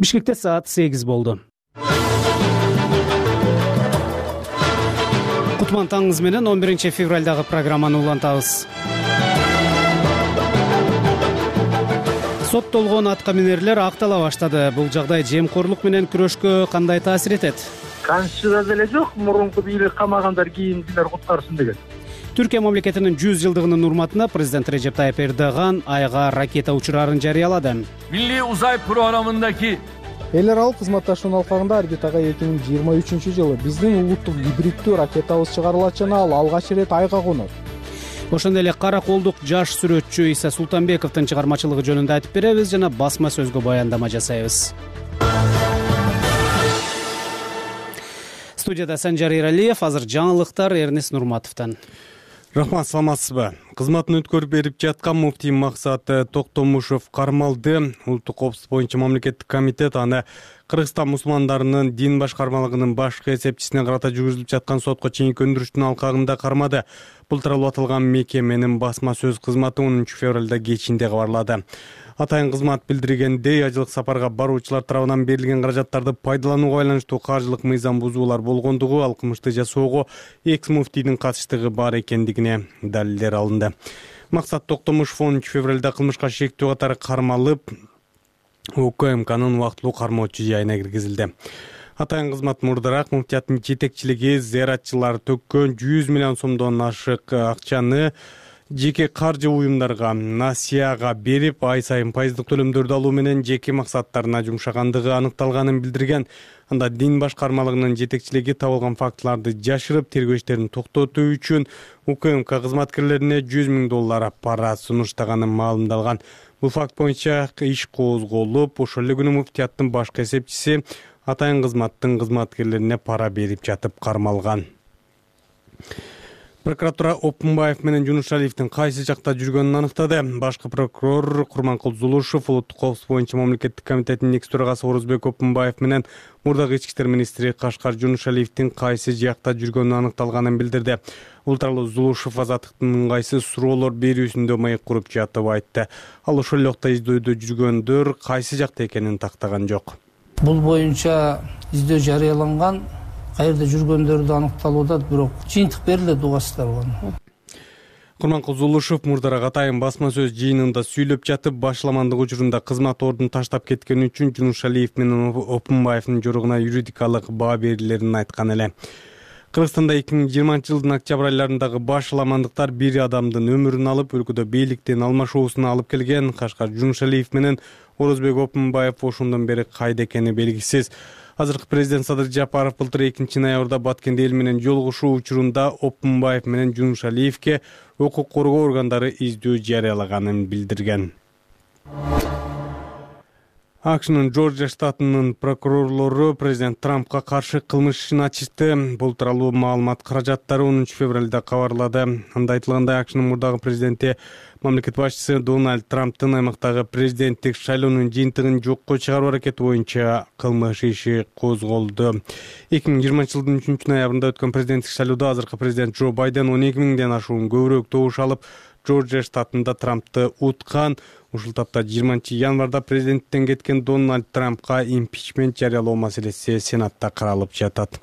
Бишкекте саат 8 болду. Кутман таңыңыз менен 11 февралдагы программаны улантабыз. Соттолгон аткаминерлер актала баштады. Бул жагдай жемкорлук менен күрөшкө кандай таасир этет? Конституцияда деле жок, мурунку бийлик камагандар кийинкилер куткарсын деген. Түркия мамлекетинин 100 жылдыгынын урматына президент Режеп Тайып Эрдоган айга ракета учурарын жарыялады. Milli Uzay programındaki эл аралык кызматташуунун алкагында орбитага 2023-жылы биздин улуттук гибриддүү ракетабыз чыгарылат жана ал алгач ирет айга конот. Ошондой эле кара колдук жаш сүрөтчү Иса Султанбековдун чыгармачылыгы жөнүндө айтып беребиз жана басма сөзгө баяндама жасайбыз. Студияда Санжар Эралиев, азыр жаңылыктар Эрнес Нурматовдон. Рахмат, саламатсызбы? Кызматын өткөрүп берип жаткан муфтий Максат Токтомушев кармалды. Улуттук коопсуздук боюнча мамлекеттик комитет аны Кыргызстан мусулмандарынын дин башкармалыгынын башкы эсепчисине карата жүргүзүлүп жаткан сотко чейинки өндүрүштүн алкагында кармады. Бул тууралуу аталган мекеменин басма сөз кызматы 10 февралда кечинде кабарлады. Атайын кызмат билдиргендей, ажылык сапарга баруучулар тарабынан берилген каражаттарды пайдаланууга байланыштуу каржылык мыйзам бузуулар болгондугу, ал кылмышты жасоого экс-муфтийдин катыштыгы бар экендигине далилдер алынды. Максат Токтомушев 10 февралда кылмышка шектүү катары кармалып, УКМКнын убактылуу кармоочу жайына киргизилди. Атайын кызмат мурдараак муфтияттын жетекчилиги зыяратчылар төккөн 100 миллион сомдон ашык акчаны жеке каржы уюмдарга, насияга берип, ай сайын пайыздык төлөмдөрдү алуу менен жеке максаттарына жумшагандыгы аныкталганын билдирген. Анда дин башкармалыгынын жетекчилиги табылган фактыларды жашырып, тергөө иштерин токтотуу үчүн УКМК кызматкерлерине $100,000 пара сунуштаганын маалымдалган. Бул факт боюнча иш козголуп, ошол эле күнү муфтияттын башкы эсепчиси атайын кызматтын кызматкерлерине пара берип жатып кармалган. Прокуратура Опунбаев менен Жунушалиевдин кайсы жакта жүргөнүн аныктады. Башкы прокурор Курманкул Зулушев улуттук коопсуздук боюнча мамлекеттик комитеттин экс төрагасы Орозбек Опунбаев менен мурдагы ички иштер министри Кашкар Жунушалиевдин кайсы жакта жүргөнүн аныкталганын билдирди. Бул тууралуу Зулушев азаттыктын ыңгайсыз суроолор берүүсүндө маек куруп жатып айтты. Ал ошол эле убакта издөөдө жүргөндөр кайсы жакта экенин тактаган жок. Бул боюнча издөө жарыяланган, каерде жүргөндөрдү аныкталууда бирок жыйынтык берилет угасыздар. Курманкул Зулушев мурдараак атайын басма сөз жыйынында сүйлөп жатып, башламандык учурунда кызмат ордун таштап кеткен үчүн Жунушалиев менен Опунбаевдин жоругуна юридикалык баа берилерин айткан эле. Кыргызстанда 2020-жылдын октябрь айларындагы башламандыктар бир адамдын өмүрүн алып, өлкөдө бийликтин алмашуусуна алып келген. Кашкар Жунушалиев менен Орозбек Опунбаев ошондон бери кайда экени белгисиз. Азыркы президент Садыр Жапаров былтыр 2-ноябрда Баткенде эл менен жолугушуу учурунда Опунбаев менен Жунушалиевке укук коргоо органдары издөө жарыялаганын билдирген. АКШнын Джорджия штатынын прокурорлору президент Трампка каршы кылмыш ишин ачышты. Бул тууралуу маалымат каражаттары 10 февралда кабарлады. Анда айтылгандай, АКШнын мурдагы президенти мамлекет башчысы Дональд Трамптын аймактагы президенттик шайлоонун жыйынтыгын жокко чыгаруу аракети боюнча кылмыш иши козголду. 2020-жылдын 3-ноябрында өткөн президенттик шайлоодо азыркы президент Джо Байден 12,000ден ашуун көбүрөөк добуш алып, Джорджия штатында Трампты уткан. Ушул тапта 20-январда президенттен кеткен Дональд Трампка импичмент жарыялоо маселеси Сенатта каралып жатат.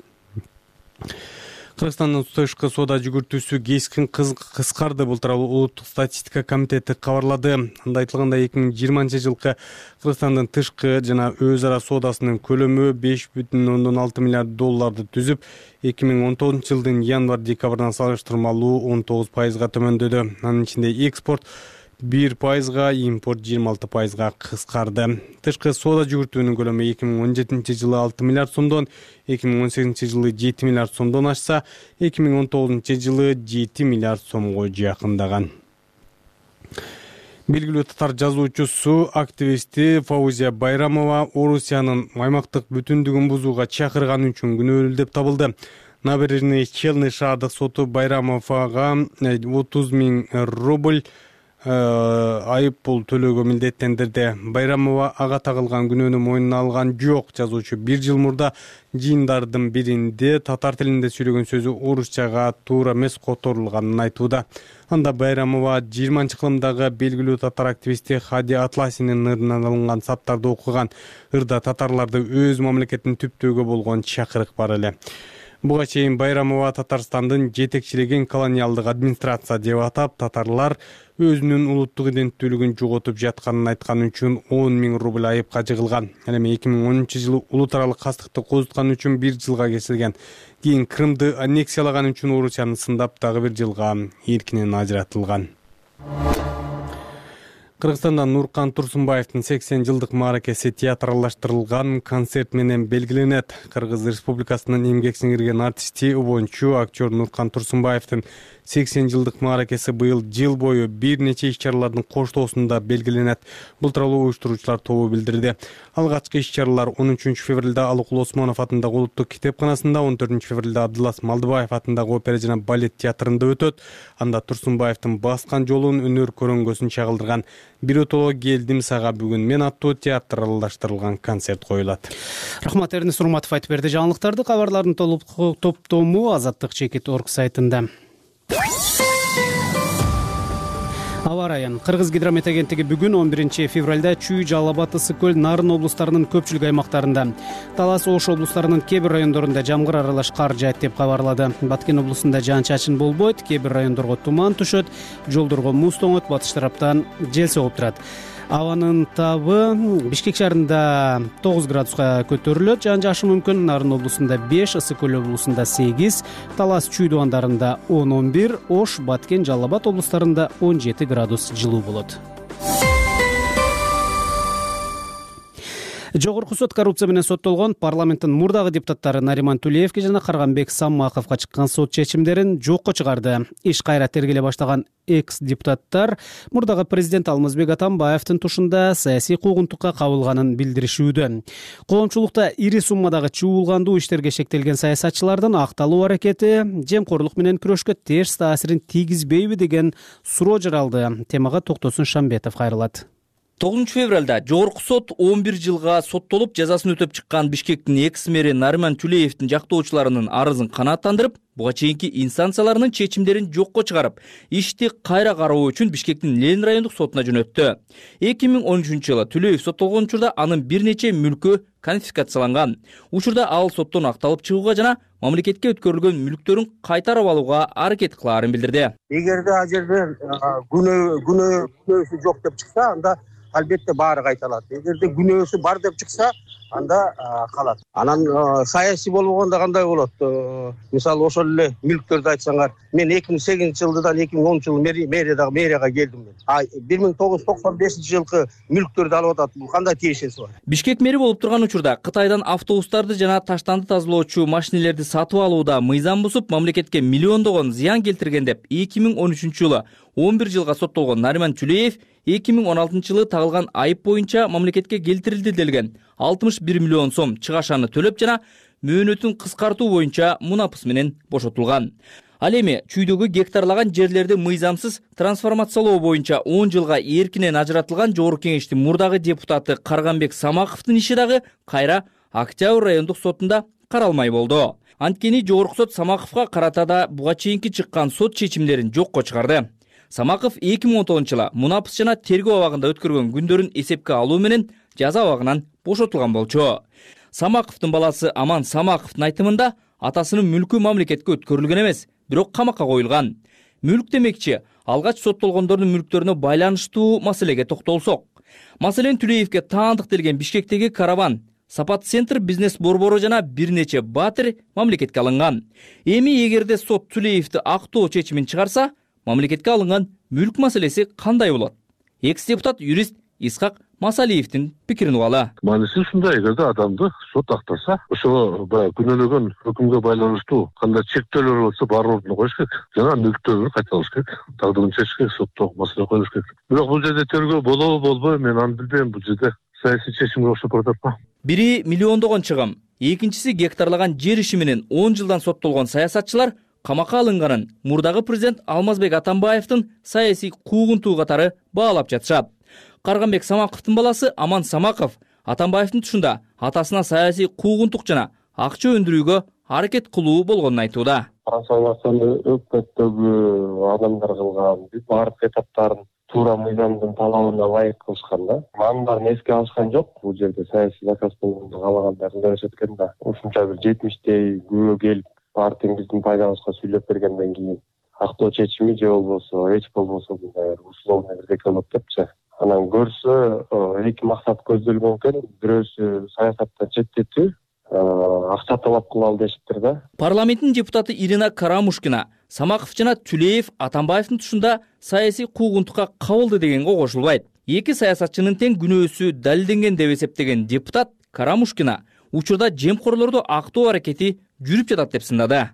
Кыргызстандын тышкы соода жүгүртүүсү кескин кыскарды. Бул тууралуу улуттук статистика комитети кабарлады. Анда айтылгандай, 2020-жылкы Кыргызстандын тышкы жана өз ара соодасынын көлөмү $5,6 миллиард түзүп, 2019-жылдын январь-декабрдан салыштырмалуу 19%га төмөндөдү. Анын ичинде экспорт 1%, импорт 26%га кыскарды. Тышкы соода жүгүртүүнүн көлөмү 2017-жылы 6 миллиард сомдон, 2018-жылы 7 миллиард сомдон ашса, 2019-жылы 7 миллиард сомго жакындаган. Белгилүү татар жазуучусу, активисти Фаузия Байрамова Орусиянын аймактык бүтүндүгүн бузууга чакырган үчүн күнөөлүү деп табылды. Набережный Челны шаардык соту Байрамовага 30,000 рубль айып пул төлөөгө милдеттендирди. Байрамова ага тагылган күнөөнү мойнуна алган жок. Жазуучу 1 жыл мурда жыйындардын биринде татар тилинде сүйлөгөн сөзү орусчага туура эмес которулганын айтууда. Анда Байрамова 20-кылымдагы белгилүү татар активисти Хади Атласинин ырынан алынган саптарды окуган. Ырда татарларды өз мамлекетин түптөөгө болгон чакырык бар эле. Буга чейин Байрамова Татарстандын жетекчилеген колониалдык администрация деп атап, татарлар өзүнүн улуттук иденттүүлүгүн жоготуп жатканын айткан үчүн 10 000 рубль айыпка жыгылган. Эми 2010-жылы улут аралык кастыкты козуткан үчүн 1 жылга кесилген. Кийин Крымды аннексиялаган үчүн Орусияны сындап дагы 1 жылга эркинен ажыратылган. Кыргызстанда Нуркан Турсунбаевдин 80 жылдык мааракеси театралаштырылган концерт менен белгиленет. Кыргыз Республикасынын эмгек сиңирген артисти, обончу, актер Нуркан Турсунбаевдин 80 жылдык мааракеси быйыл жыл бою бир нече иш-чаралардын коштоосунда белгиленет. Бул тууралуу уюштуруучулар тобу билдирди. Алгачкы иш-чаралар 13 февралда Алыкул Осмонов атындагы улуттук китепканасында, 14 февралда Абдылас Малдыбаев атындагы опера жана балет театрында өтөт. Анда Турсунбаевдин баскан жолун өнөр көрөңгөсүн чагылдырган «Биротоло келдим сага бүгүн мен» аттуу театралаштырылган концерт коюлат. Рахмат, Эрнис Урматов айтып берди. Жаңылыктарды кабарлардын топтому Азаттык.org сайтында. Аба ырайы. Кыргыз гидромет агенттиги бүгүн 11 февралда Чүй, Жалал Абад, Ысык көл, Нарын облустарынын көпчүлүк аймактарында, Талас, Ош облустарынын кээ бир райондорунда жамгыр аралаш кар жаат деп кабарлады. Баткен облусунда жаан-чачын болбойт, кээ бир райондорго туман түшөт, жолдорго муз тоңот, батыш тараптан жел согуп турат. Абанын табы Бишкек шаарында 9 градуска көтөрүлөт, жаан-жашы мүмкүн. Нарын облусунда 5, Ысык көл облусунда 8, Талас, Чүй дубандарында 10-11, Ош, Баткен, Жалал Абад облустарында 17 градус жылуу болот. Жогорку сот коррупция менен соттолгон парламенттин мурдагы депутаттары Нариман Тулеевге жана Карганбек Самаковго чыккан сот чечимдерин жокко чыгарды. Иш кайра тергеле баштаган экс-депутаттар мурдагы президент Алмазбек Атамбаевдин тушунда саясий куугунтукка кабылганын билдиришүүдө. Коомчулукта ири суммадагы чуулгандуу иштерге шектелген саясатчылардын акталуу аракети жемкорлук менен күрөшкө терс таасирин тийгизбейби деген суроо жаралды. Темага Токтосун Шамбетов кайрылат. 9 февралда Жогорку сот 11 жылга соттолуп жазасын өтөп чыккан Бишкектин экс-мэри Нариман Тулеевдин жактоочуларынын арызын канааттандырып, буга чейинки инстанцияларынын чечимдерин жокко чыгарып, ишти кайра кароо үчүн Бишкектин Ленин райондук сотуна жөнөттү. 2013-жылы Тулеев соттолгон учурда анын бир нече мүлкү конфискацияланган. Учурда ал соттон акталып чыгууга жана мамлекетке өткөрүлгөн мүлктөрүн кайтарып алууга аракет кылаарын билдирди. Эгерде ал жерде күнөөсү жок деп чыкса, анда албетте баары кайталат. Эгерде күнөөсү бар деп чыкса, анда калат. Анан саясий болбогондо кандай болот? Мисалы ошол эле мүлктөрдү айтсаңар, мен 2008-жылдан 2010-жылы мэрияга келдим мен. 1995-жылкы мүлктөрдү алып атат. Бул кандай тиешеси бар? Бишкек мэри болуп турган учурда Кытайдан автобустарды жана таштанды тазалоочу машинелерди сатып алууда мыйзам бузуп, мамлекетке миллиондогон зыян келтирген деп 2013-жылы 11 жылга соттолгон Нариман Тулеев 2016-жылы тагылган айып боюнча мамлекетке келтирилди делген 61 миллион сом чыгашаны төлөп жана мөөнөтүн кыскартуу боюнча мунапыс менен бошотулган. Ал эми Чүйдөгү гектарлаган жерлерди мыйзамсыз трансформациялоо боюнча 10 жылга эркинен ажыратылган Жогорку кеңештин мурдагы депутаты Карганбек Самаковдун иши дагы кайра Октябрь райондук сотунда каралмай болду. Анткени Жогорку сот Самаковго карата да буга чейинки чыккан сот чечимдерин жокко чыгарды. Самаков 2019-жылы мунапыс жана тергөө абагында өткөргөн күндөрүн эсепке алуу менен жаза абагынан бошотулган болчу. Самаковдун баласы Аман Самаковдун айтымында атасынын мүлкү мамлекетке өткөрүлгөн эмес, бирок камакка коюлган. Мүлк демекчи, алгач соттолгондордун мүлктөрүнө байланыштуу маселеге токтолсок. Маселен Тулеевге таандык делген Бишкектеги караван, Сапат центр бизнес борбору жана бир нече батир мамлекетке алынган. Эми эгерде сот Тулеевди актоо чечимин чыгарса, мамлекетке алынган мүлк маселеси кандай болот? Экс-депутат юрист Исхак Масалиевдин пикирин угалы. Мааниси ушундай: эгерде адамды сот актаса, ошого күнөөлөгөн өкүмгө байланыштуу кандай чектөөлөр болсо баарын ордуна коюш керек. Жана мүлктөрүн кайтарыш керек. Тагдырын чечиш керек, сотто маселе коюш керек. Бирок бул жерде тергөө болобу болбойбу, мен аны билбейм. Бул жерде саясий чечимге окшоп баратат. Бири миллиондогон чыгым, экинчиси гектарлаган жер иши менен 10 жылдан соттолгон саясатчылар камакка алынганын мурдагы президент Алмазбек Атамбаевдин саясий куугунтуу катары баалап жатышат. Карганбек Самаковдун баласы Аман Самаков Атамбаевдин тушунда атасына саясий куугунтук жана акча өндүрүүгө аракет кылуу болгонун айтууда. Трансформацияны өкмөттөгү адамдар кылган баардык этаптарын туура мыйзамдын талабына ылайык кылышкан да. Анын баарын эске алышкан жок. Бул жерде саясий заказ болгонду каалагандар ылдыр экен да. Ушунча бир 70-тей күбө келип партиянын биздин пайдабызга сүйлөп бергенден кийин актоо чечими же болбосо эч болбосо мындай условный бирдеке болот депчи. Анан көрсө эки максат көздөлгөн экен. Бирөөсү саясаттан четтетүү, акча талап кылалы дешиптир да. Парламенттин депутаты Ирина Карамушкина Самаков жана Түлеев Атамбаевдин тушунда саясий куугунтукка кабылды дегенге кошулбайт. Эки саясатчынын тең күнөөсү далилденген деп эсептеген депутат Карамушкина учурда жемкорлорду актоо аракети жүрүп жатат деп сындады.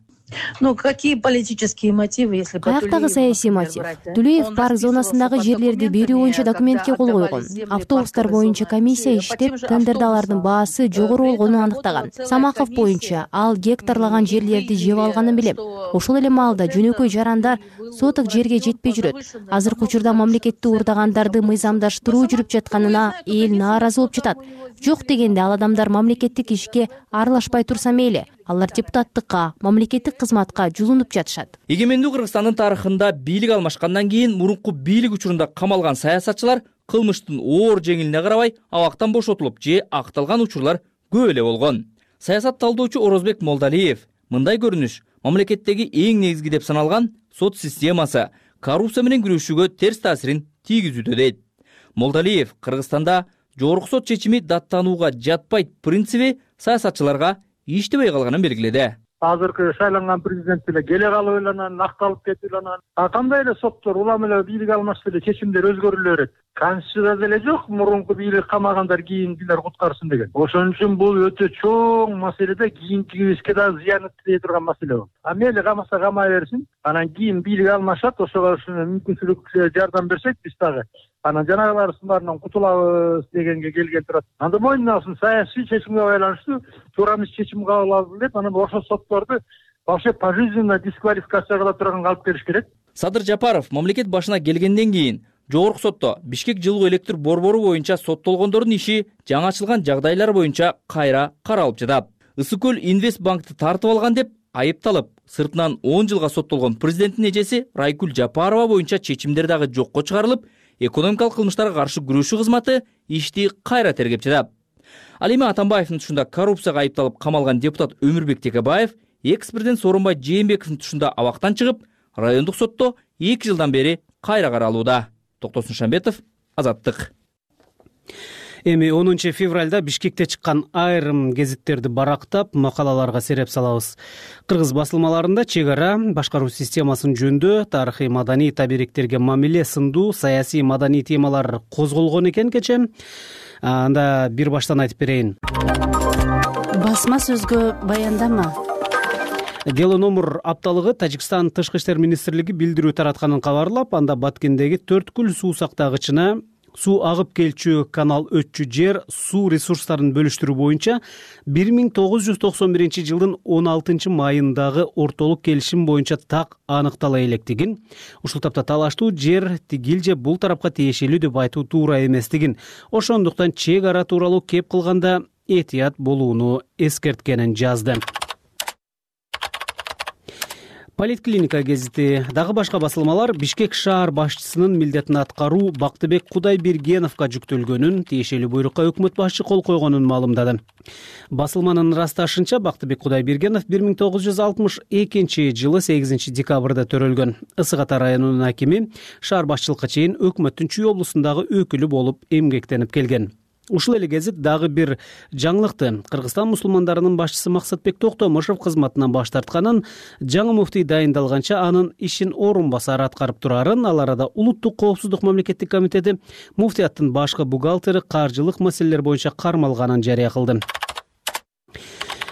Какие политические мотивы, если каяктагы саясий мотив? Түлеев парк зонасындагы жерлерди берүү боюнча документке кол койгон. Автобустар боюнча комиссия иштеп, тендерде алардын баасы жогору болгонун аныктаган. Самаков боюнча ал гектарлаган жерлерди жеп алганын билем. Ошол эле маалда жөнөкөй жарандар соток жерге жетпей жүрөт. Азыркы учурда мамлекетти уурдагандарды мыйзамдаштыруу жүрүп жатканына эл нааразы болуп жатат. Жок дегенде ал адамдар мамлекеттик ишке аралашпай турса мейли. Алар депутаттыкка, мамлекеттик кызматка жулунуп жатышат. Эгемендүү Кыргызстандын тарыхында бийлик алмашкандан кийин мурунку бийлик учурунда камалган саясатчылар кылмыштын оор жеңилине карабай абактан бошотулуп же акталган учурлар көп эле болгон. Саясат талдоочу Орозбек Молдалиев мындай көрүнүш мамлекеттеги эң негизги деп саналган сот системасы коррупция менен күрөшүүгө терс таасирин тийгизүүдө дейт. Молдалиев Кыргызстанда жогорку сот чечими даттанууга жатпайт принциби саясатчыларга иштебей калганын белгиледи. Азыркы шайланган президент эле келе калып эле анан акталып кетип эле анан кандай эле соттор улам эле бийлик алмашса эле чечимдер өзгөрүлө берет. Конституцияда деле жок мурунку бийлик камагандар кийингилер куткарсын деген. Ошон үчүн бул өтө чоң маселеде кийинкибизге да зыян тие турган маселе болот. Мейли камаса камай берсин, анан кийин бийлик алмашат, ошого мүмкүнчүлүк жардам берсек биз дагы анан жанагылардын баарынан кутулабыз дегенге келген турат. Анда мойнуна алсын, саясий чечимге байланыштуу туура эмес чечим кабыл алды деп, анан ошол сотторду вообще пожизненно дисквалификация кыла турганга алып келиш керек. Садыр Жапаров мамлекет башына келгенден кийин жогорку сотто Бишкек жылуу электр борбору боюнча соттолгондордун иши жаңы ачылган жагдайлар боюнча кайра каралып жатат. Ысык көл Инвестбанкты тартып алган деп айыпталып, сыртынан 10 жылга соттолгон президенттин эжеси Райкүл Жапарова боюнча чечимдер дагы жокко чыгарылып, экономикалык кылмыштарга каршы күрөшүү кызматы ишти кайра тергеп жатат. Ал эми Атамбаевдин тушунда коррупцияга айыпталып камалган депутат Өмүрбек Текебаев экс-президент Сооронбай Жээнбековдин тушунда абактан чыгып, райондук сотто 2 жылдан бери кайра каралууда. Токтосун Шамбетов, Азаттык. Эми 10 февралда Бишкекте чыккан айрым гезиттерди барактап, макалаларга сереп салабыз. Кыргыз басылмаларында чек ара, башкаруу системасын жөндөө, тарыхый маданий табириктерге мамиле сындуу саясий маданий темалар козголгон экен кече. Анда бир баштан айтып берейин. Басма сөзгө баяндама. Дело номер апталыгы Тажикстан Тышкы иштер министрлиги билдирүү таратканын кабарлап, анда Баткендеги Төрткүл суу сактагычына суу агып келчү канал өтчү жер суу ресурстарын бөлүштүрүү боюнча 1991 жылдын 16 майындагы ортолук келишим боюнча так аныктала электигин, ушул тапта талаштуу жер тигил же бул тарапка тиешелүү деп айтуу туура эместигин, ошондуктан чек ара тууралуу кеп кылганда этият болууну эскерткенин жазды. Политклиника гезити дагы башка басылмалар Бишкек шаар башчысынын милдетин аткаруу Бактыбек Кудайбергеновго жүктөлгөнүн, тиешелүү буйрукка өкмөт башчы кол койгонун маалымдады. Басылманын ырасташынча Бактыбек Кудайбергенов 1962 жылы 8 декабрда төрөлгөн. Ысык Ата районунун акими, шаар башчылыкка чейин өкмөттүн Чүй облусундагы өкүлү болуп эмгектенип келген. Ушул эле гезит дагы бир жаңылыкты. Кыргызстан мусулмандарынын башчысы Максатбек Токтомушев кызматынан баш тартканын, жаңы муфтий дайындалганча анын ишин орун басары аткарып турарын, ал арада Улуттук коопсуздук мамлекеттик комитети муфтияттын башкы бухгалтери каржылык маселелер боюнча кармалганын жарыя кылды.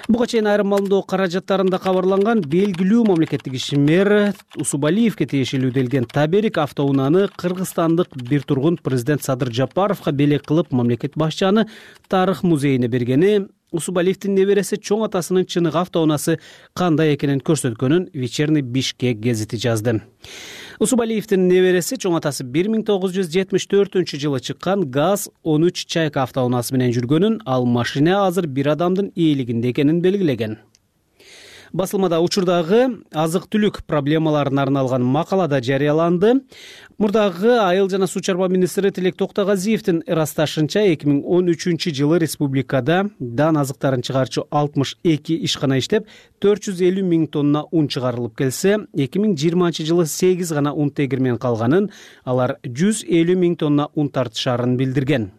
Буга чейин айрым маалымдоо каражаттарында кабарланган белгилүү мамлекеттик ишмер Усубалиевке тиешелүү делген таберик автоунааны кыргызстандык бир тургун президент Садыр Жапаровго белек кылып мамлекет башчыны тарых музейине бергени Усубалиевдин небереси чоң атасынын чыныгы автоунаасы кандай экенин көрсөткөнүн Вечерний Бишкек гезити жазды. Усубалиевдин небереси чоң атасы 1974-жылы чыккан ГАЗ-13 Чайка автоунаасы менен жүргөнүн, ал машина азыр бир адамдын ээлигинде экенин белгилеген. Басылмада учурдагы азык-түлүк проблемаларына арналган макалада жарыяланды. Мурдагы айыл жана суу чарба министри Тилек Токтогазиевдин ырасташынча 2013-жылы республикада дан азыктарын чыгарчу 62 ишкана иштеп, 450 миң тонна ун чыгарылып келсе, 2020-жылы 8 гана ун тегирмен калганын, алар 150 миң тонна ун тартышарын билдирген.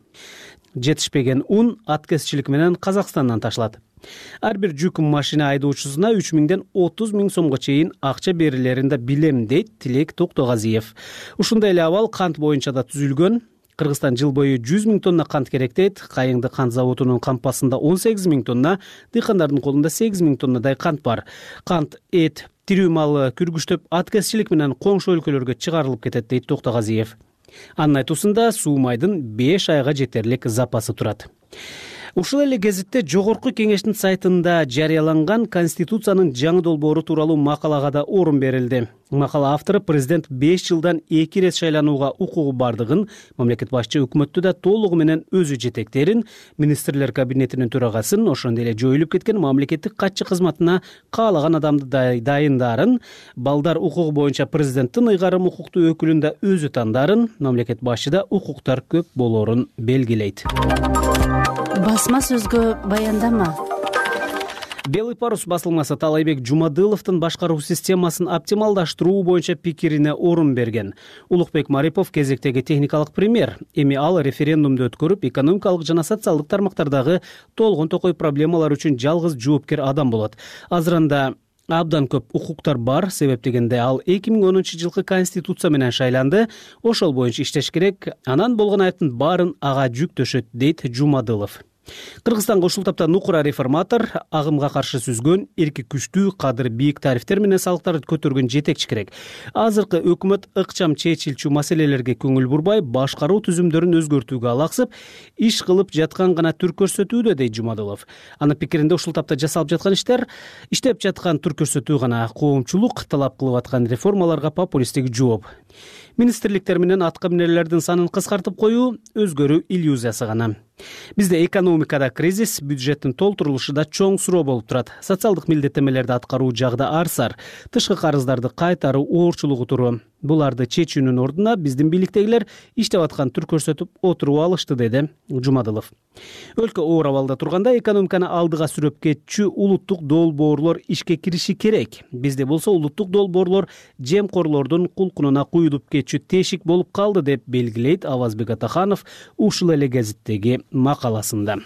Жетишпеген ун аткезчилик менен Казакстандан ташылат. Ар бир жүк машина айдоочусуна 3 миңден 30 миң сомго чейин акча берилерин да билем, дейт Тилек Токтогазиев. Ушундай эле абал кант боюнча да түзүлгөн. Кыргызстан жыл бою 100 миң тонна кант керек дейт. Кайыңды кант заводунун кампасында 18 миң тонна, дыйкандардын колунда 8 миң тоннадай кант бар. Кант, эт, тирүү малы күргүчтөп аткезчилик менен коңшу өлкөлөргө чыгарылып кетет, дейт Токтогазиев. Анын айтуусунда суу майдын 5 айга жетерлик запасы турат. Ушул эле гезитте Жогорку Кеңештин сайтында жарыяланган Конституциянын жаңы долбоору тууралуу макалага да орун берилди. Макала автору президент 5 жылдан 2 ирет шайланууга укугу бардыгын, мамлекет башчы өкмөттү да толугу менен өзү жетектерин, министрлер кабинетинин төрагасын, ошондой эле жоюлуп кеткен мамлекеттик катчы кызматына каалаган адамды дайындарын, балдар укугу боюнча президенттин ыйгарым укуктуу өкүлүн да өзү тандарын, мамлекет башчыда укуктар көп болоорун белгилейт. Басма сөзгө баяндама. Белый парус басылмасы Талайбек Жумадыловдун башкаруу системасын оптималдаштыруу боюнча пикирине орун берген. Улукбек Марипов кезектеги техникалык премьер. Эми ал референдумду өткөрүп, экономикалык жана социалдык тармактардагы толгон токой проблемалар үчүн жалгыз жоопкер адам болот. Азырында абдан көп укуктар бар, себеп дегенде ал 2010-жылкы Конституция менен шайланды, ошол боюнча иштеш керек, анан болгон айыптын баарын ага жүктөшөт, дейт Жумадылов. Кыргызстанга ушул тапта нукура реформатор, агымга каршы сүзгөн, эрки күчтүү, кадыр бийик тарифтер менен салыктарды көтөргөн жетекчи керек. Азыркы өкмөт ыкчам чечилчү маселелерге көңүл бурбай, башкаруу түзүмдөрүн өзгөртүүгө алаксып, иш кылып жаткан гана түр көрсөтүүдө, дейт Жумадылов. Анын пикиринде ушул тапта жасалып жаткан иштер, иштеп жаткан түр көрсөтүү гана, коомчулук талап кылып аткан реформаларга популисттик жооп. Министрликтер менен атка минерлердин санын кыскартып коюу өзгөрүү иллюзиясы гана. Бизде экономикада кризис, бюджеттин толтурулушу да чоң суроо болуп турат. Социалдык милдеттемелерди аткаруу жагда арсар, тышкы карыздарды кайтаруу оорчулугу туруу. Буларды чечүүнүн ордуна биздин бийликтегилер иштеп аткан түр көрсөтүп отуруп алышты, деди Жумадылов. Өлкө оор абалда турганда экономиканы алдыга сүрөп кетчү улуттук долбоорлор ишке кириши керек. Бизде болсо улуттук долбоорлор жемкорлордун кулкунуна куюлуп кетчү тешик болуп калды, деп белгилейт Авазбек Атаханов ушул эле гезиттеги макаласында.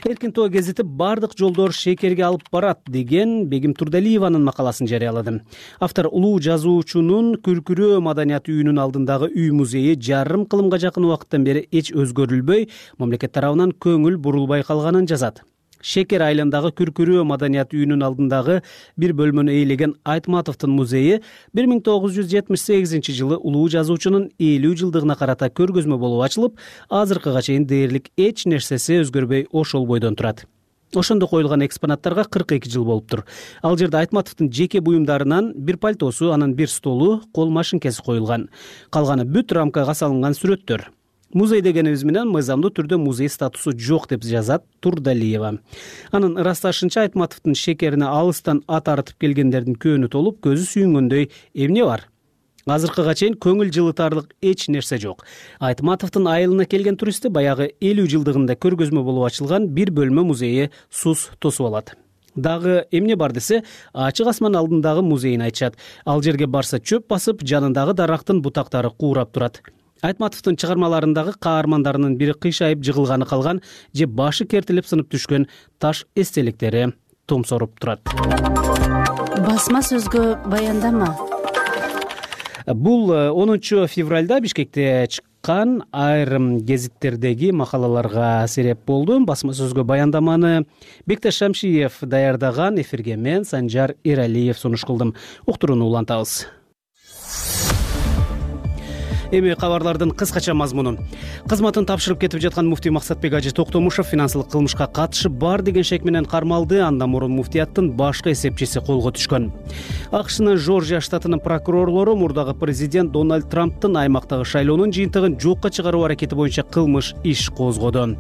Эркин тоо гезити бардык жолдор шекерге алып барат деген Бегим Турдалиеванын макаласын жарыялады. Автор улуу жазуучунун Күркүрөө маданият үйүнүн алдындагы үй музейи жарым кылымга жакын убакыттан бери эч өзгөрүлбөй, мамлекет тарабынан көңүл бурулбай калганын жазат. Шекер айылындагы Күркүрөө маданият үйүнүн алдындагы бир бөлмөнү ээлеген Айтматовдун музейи 1978-жылы улуу жазуучунун 50 жылдыгына карата көргөзмө болуп ачылып, азыркыга чейин дээрлик эч нерсеси өзгөрбөй ошол бойдон турат. Ошондо коюлган экспонаттарга 42 жыл болуптур. Ал жерде Айтматовдун жеке буюмдарынан бир пальтосу, анан бир столу, кол машинкеси коюлган. Калганы бүт рамкага салынган сүрөттөр. Музей дегенибиз менен мыйзамдуу түрдө музей статусу жок, деп жазат Турдалиева. Анын ырасташынча Айтматовдун шекерине алыстан ат арытып келгендердин көөнү толуп, көзү сүйүнгөндөй эмне бар? Азыркыга чейин көңүл жылытарлык эч нерсе жок. Айтматовдун айылына келген туристти баягы 50 жылдыгында көргөзмө болуп ачылган бир бөлмө музейи сус тосуп алат. Дагы эмне бар десе, ачык асман алдындагы музейин айтышат. Ал жерге барса чөп басып, жанындагы дарактын бутактары куурап турат. Айтматовдун чыгармаларындагы каармандарынын бири кыйшайып жыгылганы калган же башы кертилип сынып түшкөн таш эстеликтери томсоруп турат. Басма сөзгө баяндама. Бул 10 февралда Бишкекте чыккан айрым гезиттердеги макалаларга сереп болду. Басма сөзгө баяндаманы Бекташ Шамшиев даярдаган, эфирге мен Санжар Эралиев сунуш кылдым. Уктурууну улантабыз. Эми кабарлардын кыскача мазмуну. Кызматын тапшырып кетип жаткан муфтий Максатбек Ажы Токтомушев финансылык кылмышка катышы бар деген шек менен кармалды. Андан мурун муфтияттын башкы эсепчиси колго түшкөн. АКШнын Жоржия штатынын прокурорлору мурдагы президент Дональд Трамптын аймактагы шайлоонун жыйынтыгын жокко чыгаруу аракети боюнча кылмыш иш козгоду.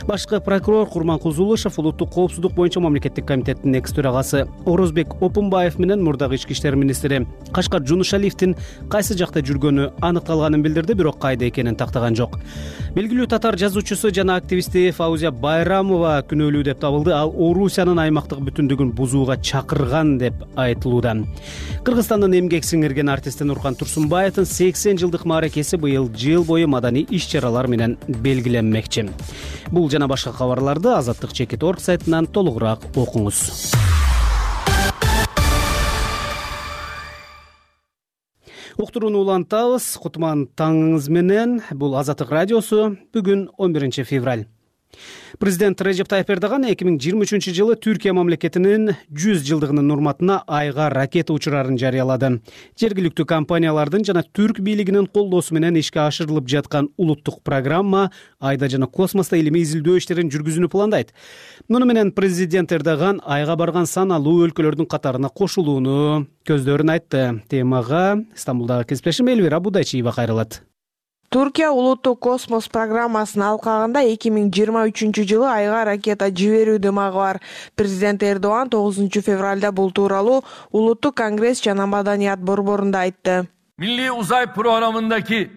Башкы прокурор Курманкул Зулушев улуттук коопсуздук боюнча мамлекеттик комитеттин экс төрагасы Орозбек Опунбаев менен мурдагы ички иштер министри Кашкар Жунушалиевдин кайсы жакта жүргөнү аныкталганын билдирди, бирок кайда экенин тактаган жок. Белгилүү татар жазуучусу жана активисти Фаузия Байрамова күнөөлүү деп табылды. Ал Орусиянын аймактык бүтүндүгүн бузууга чакырган деп айтылууда. Кыргызстандын эмгек сиңирген артисти Нуркан Турсунбаевдин 80 жылдык мааракеси быйыл жыл бою маданий иш-чаралар менен белгиленмекчи. Бул жана башка кабарларды Азаттык.org сайтынан толугураак окуңуз. Уктурууну улантабыз. Кутман таңыңыз менен. Бул Азаттык радиосу. Бүгүн 11 февраль. Президент Режеп Тайып Эрдоган 2023 жылы Түркия мамлекетинин 100 жылдыгынын урматына Айга ракета учурарын жарыялады. Жергиликтүү компаниялардын жана түрк бийлигинин колдоосу менен ишке ашырылып жаткан улуттук программа Айда жана космоста илимий изилдөө иштерин жүргүзүүнү пландайт. Муну менен президент Эрдоган Айга барган саналуу өлкөлөрдүн катарына кошулууну көздөрүн айтты. Темага Стамбулдагы кесиптешим Элвира Будайчиева кайрылат. Түркия улуттук космос программасынын алкагында 2023 жылы Айга ракета жиберүү дымагы бар. Президент Эрдоган 9 февралда бул тууралуу улуттук конгресс жана маданият борборунда айтты. Milli Uzay Programı'ndaki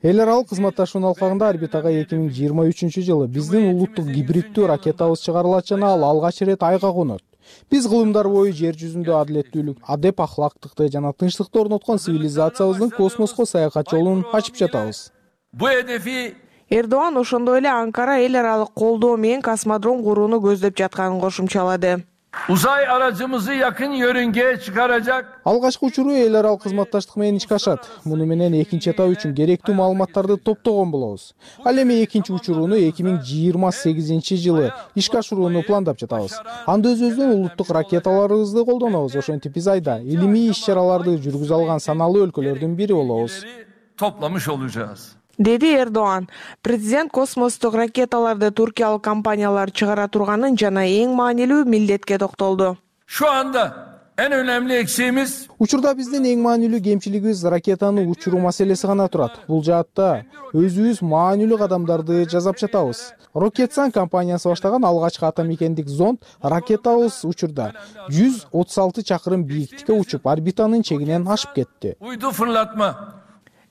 эл аралык кызматташуунун алкагында орбитага 2023 жылы биздин улуттук гибриддүү ракетабыз чыгарылат жана ал алгач ирет Айга конот. Биз кылымдар бою жер жүзүндө адилеттүүлүк, адеп ахлактыкты жана тынчтыкты орноткон цивилизациябыздын космоско саякат жолун ачып жатабыз. bu hedefi Эрдоган ошондой эле Анкара эл аралык колдоо менен космодром курууну көздөп жатканын кошумчалады. uzay aracımızı yakın yörüngeye çıkaracak Алгачкы учуру эл аралык кызматташтык менен ишке ашат. Муну менен экинчи этап үчүн керектүү маалыматтарды топтогон болобуз. Ал эми экинчи учуруну 2028 жылы ишке ашырууну пландап жатабыз. Анда өзүбүздүн улуттук ракеталарыбызды колдонобуз. Ошентип биз Айда илимий иш-чараларды жүргүзө алган саналуу өлкөлөрдүн бири болобуз. toplamış olacağız. Деди Эрдоган. Президент космостук ракеталарды туркиялык компаниялар чыгара турганын жана эң маанилүү милдетке токтолду. Şu anda en önemli eksiğimiz Учурда биздин эң маанилүү кемчилигибиз ракетаны учуруу маселеси гана турат. Бул жаатта өзүбүз маанилүү кадамдарды жасап жатабыз. Roketsan компаниясы баштаган алгачкы атомикендик зонд ракетабыз учурда 136 чакырым бийиктикке учуп, орбитанын чегинен ашып кетти. uydu fırlatma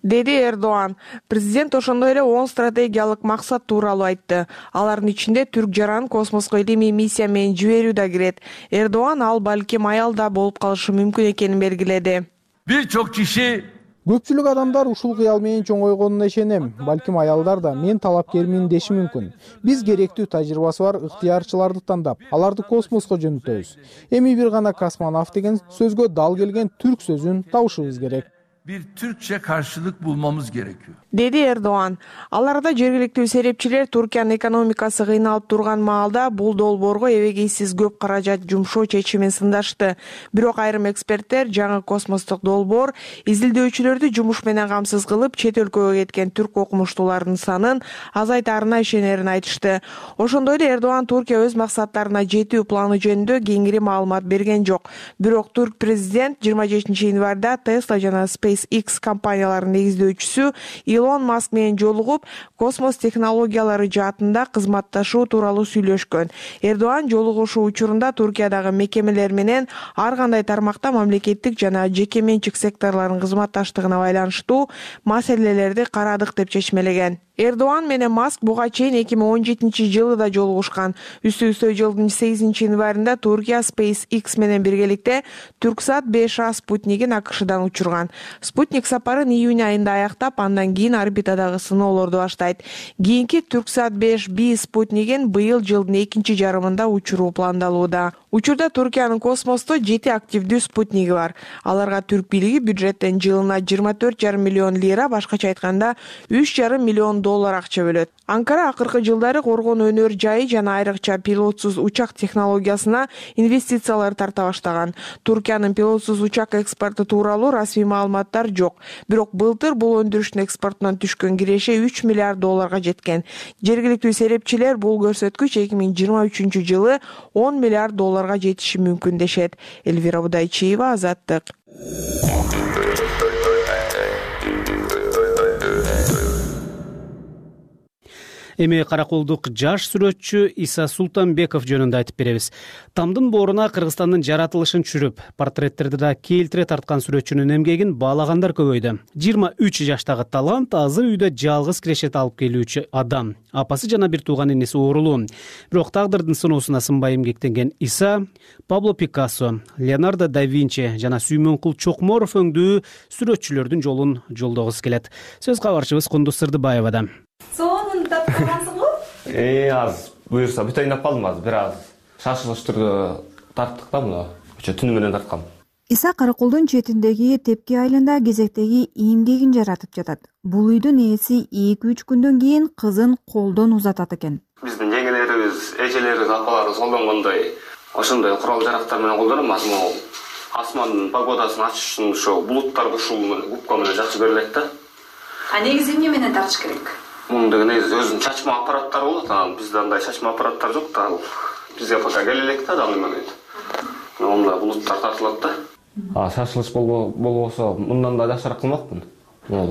Деди Эрдоган. Президент ошондой эле 10 стратегиялык максат тууралуу айтты. Алардын ичинде түрк жаран космоско илимий миссия менен жиберүү да кирет. Эрдоган ал балким аялда болуп калышы мүмкүн экенин белгиледи. birçok kişi Көпчүлүк адамдар ушул кыял менен чоңойгонуна ишенем. Балким аялдар да мен талапкермин деши мүмкүн. Биз керектүү тажрыйбасы бар ыктыярчыларды тандап, аларды космоско жөнөтөбүз. Эми бир гана космонавт деген сөзгө дал келген түрк сөзүн табышыбыз керек. bir Türkçe karşılık bulmamız gerekiyor. Деди Эрдоган. Аларда жергиликтүү серепчилер Туркиянын экономикасы кыйналып турган маалда бул долбоорго эбегейсиз көп каражат жумшоо чечимин сындашты. Бирок айрым эксперттер жаңы космостук долбоор изилдөөчүлөрдү жумуш менен камсыз кылып, чет өлкөгө кеткен түрк окумуштуулардын санын азайтаарына ишенерин айтышты. Ошондой эле Эрдоган Туркия өз максаттарына жетүү планы жөнүндө кеңири маалымат берген жок. Бирок турк президент 27 январда Tesla жана SpaceX компанияларынын негиздөөчүсү Илон Маск менен жолугуп, космос технологиялары жаатында кызматташуу тууралуу сүйлөшкөн. Эрдоган жолугушуу учурунда Туркиядагы мекемелер менен ар кандай тармакта мамлекеттик жана жеке менчик секторлордун кызматташтыгына байланыштуу маселелерди карадык деп чечмелеген. Эрдоган менен Маск буга чейин 2017 жылы да жолугушкан. Үстү-үстө жылдын 8 январында Туркия SpaceX менен биргеликте Түрксат 5А спутнигин АКШдан учурган. Спутник сапарын июнь айында аяктап, андан кийин орбитадагы сыноолорду баштайт. Кийинки Түрксат 5B спутнигин быйыл жылдын экинчи жарымында учуруу пландалууда. Учурда Туркиянын космосто 7 активдүү спутниги бар. Аларга түрк бийлиги бюджеттен жылына 24,5 миллион лира, башкача айтканда 3,5 миллион доллар акча бөлөт. Анкара акыркы жылдары коргонуу өнөр жайы жана айрыкча пилотсуз учак технологиясына инвестициялар тарта баштаган. Туркиянын пилотсуз учак экспорту тууралуу расмий маалыматтар жок. Бирок былтыр бул өндүрүштүн экспортунан түшкөн киреше 3 миллиард долларга жеткен. Жергиликтүү серепчилер бул көрсөткүч 2023 жылы 10 миллиард долларга жетиши мүмкүн дешет. Элвира Будайчиева, Азаттык. Эми караколдук жаш сүрөтчү Иса Султанбеков жөнүндө айтып беребиз. Тамдын бооруна Кыргызстандын жаратылышын түшүрүп, портреттерди да келтире тарткан сүрөтчүнүн эмгегин баалагандар көбөйдү. 23 жаштагы талант азыр үйдө жалгыз кирешет алып келүүчү адам. Апасы жана бир тууган инеси оорулуу. Бирок тагдырдын сыноосуна сынбай эмгектенген Иса Пабло Пикассо, Леонардо да Винчи жана Сүймөнкул Чокморов өңдүү сүрөтчүлөрдүн жолун жолдогусу келет. Сөз кабарчыбыз Кундуз Сырдыбаевадан. Сонун тапкансыңбы? Аз буюрса бүт ойноп калдым, азыр бир аз шашылыш түрдө тарттык да муну. Түнү менен тарткам. Иса Караколдун четиндеги Тепки айылында кезектеги эмгегин жаратып жатат. Бул үйдүн ээси 2-3 күндөн кийин кызын колдон узатат экен. Биздин жеңелерибиз, эжелерибиз, апаларыбыз колдонгондой ошондой курал жарактар менен колдонот. Асмандын погодасын ачыш үчүн ошо булуттарды ушул менен губка менен жакшы көрүлөт да. А негизи эмне менен тартыш керек? Мунун деген негизи өзүнүн чачма аппараттары болот. Бизде андай чачма аппараттар жок да. Бизге пока келелек да аны менен. Онда булуттар тартылат да. Шашылыш болбосо мындан да жакшыраак кылмакмын.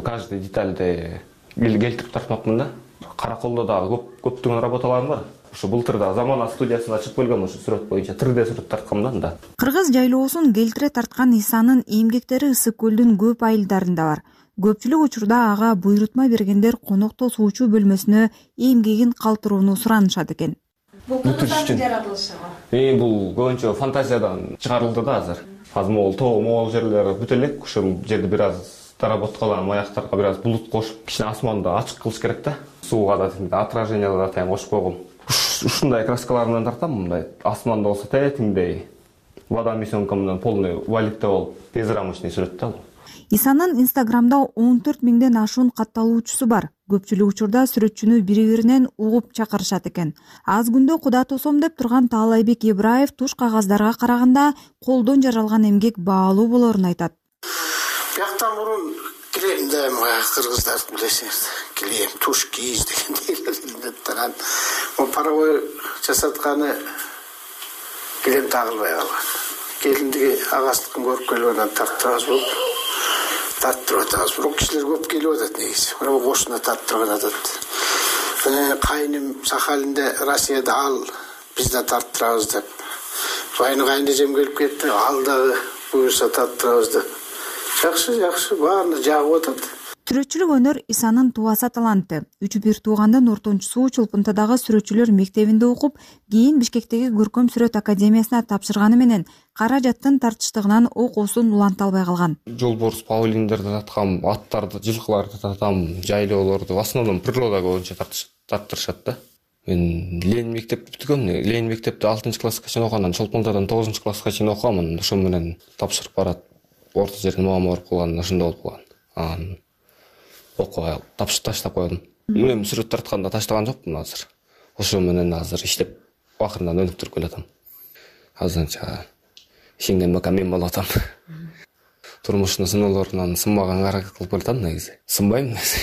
Каждый детальди келтирип тартмакмын да. Караколдо дагы көптөгөн работаларым бар. Ошо былтыр да Замана студиясына чыгып келгем, ошо сүрөт боюнча 3D сүрөт тарткам да. Кыргыз жайлоосун келтире тарткан Исанын эмгектери Ысык көлдүн көп айылдарында бар. Көпчүлүк учурда ага буйрутма бергендер конокто суучу бөлмөсүнө эмгегин калтырууну суранышат экен. Бул кыргыздардын жаратылышыбы? Бул көбүнчө фантазиядан чыгарылды да азыр. Азыр могул тоо жерлер бүт элек, ошол жерди бир аз доработкаланып, аяктарга бир аз булут кошуп, кичине асманды ачык кылыш керек да. Сууга да отражение да тайм кошуп койгом. Ушундай краскалар менен тартам, мындай асманда болсо тетиңдей, водомесёнка менен полный валикте болуп, безрамочный сүрөт да. Исанын Инстаграмда 14 миңден ашуун катталуучусу бар. Көпчүлүк учурда сүрөтчүнү бири-биринен угуп чакырышат экен. Аз күндө куда тосом деп турган Таалайбек Ибраев туш кагаздарга караганда колдон жаралган эмгек баалуу болорун айтат. Бияктан мурун килем да кыргыздар билесиңиз, килем, туш кийиз дегендей таран. Паровой жасатканы килем тагылбай калган. Келиндиги агастыкын көрүп келип анан тарттырабыз болуп. Тарттырып атабыз. Бирок кишилер көп келип атат негизи. Бирок кошуна тарттырып атат. Кайным Сахалинде, Россияда ал бизде тарттырабыз деп. Кайнэжем келип кетти, ал дагы буюрса тарттырабыз деп. Жакшы, баарына жагып атат. Сүрөтчүлүк өнөр Исанын тубаса таланты. 3-1 туугандын ортончусу Чулпунтадагы сүрөтчүлөр мектебинде окуп, кийин Бишкектеги Көркөм сүрөт академиясына тапшырганы менен каражаттын тартыштыгынан окуусун уланта албай калган. Жолборс, павлиндерди таткам, аттарды, жылкыларды татам, жайлоолорду, в основном природа боюнча тарттырышат да. Мен Ленин мектепти бүткөм. Ленин мектепти 6-класска чейин окугандан Чолпунтадан 9-класска чейин окугам. Ошо менен тапшырып барат. Орто жерден муамма болуп калган, ошондой болуп калган. Окуй таштап койдум. Мен сүрөт тартканда таштаган жокмун азыр. Ошо менен азыр иштеп акырындан өнүктүрүп келатам. Азырынча ишиңден бака мен болуп атам. Турмуштун сыноолорунан сынбаган аракет кылып келатам негизи. Сынбайм негизи.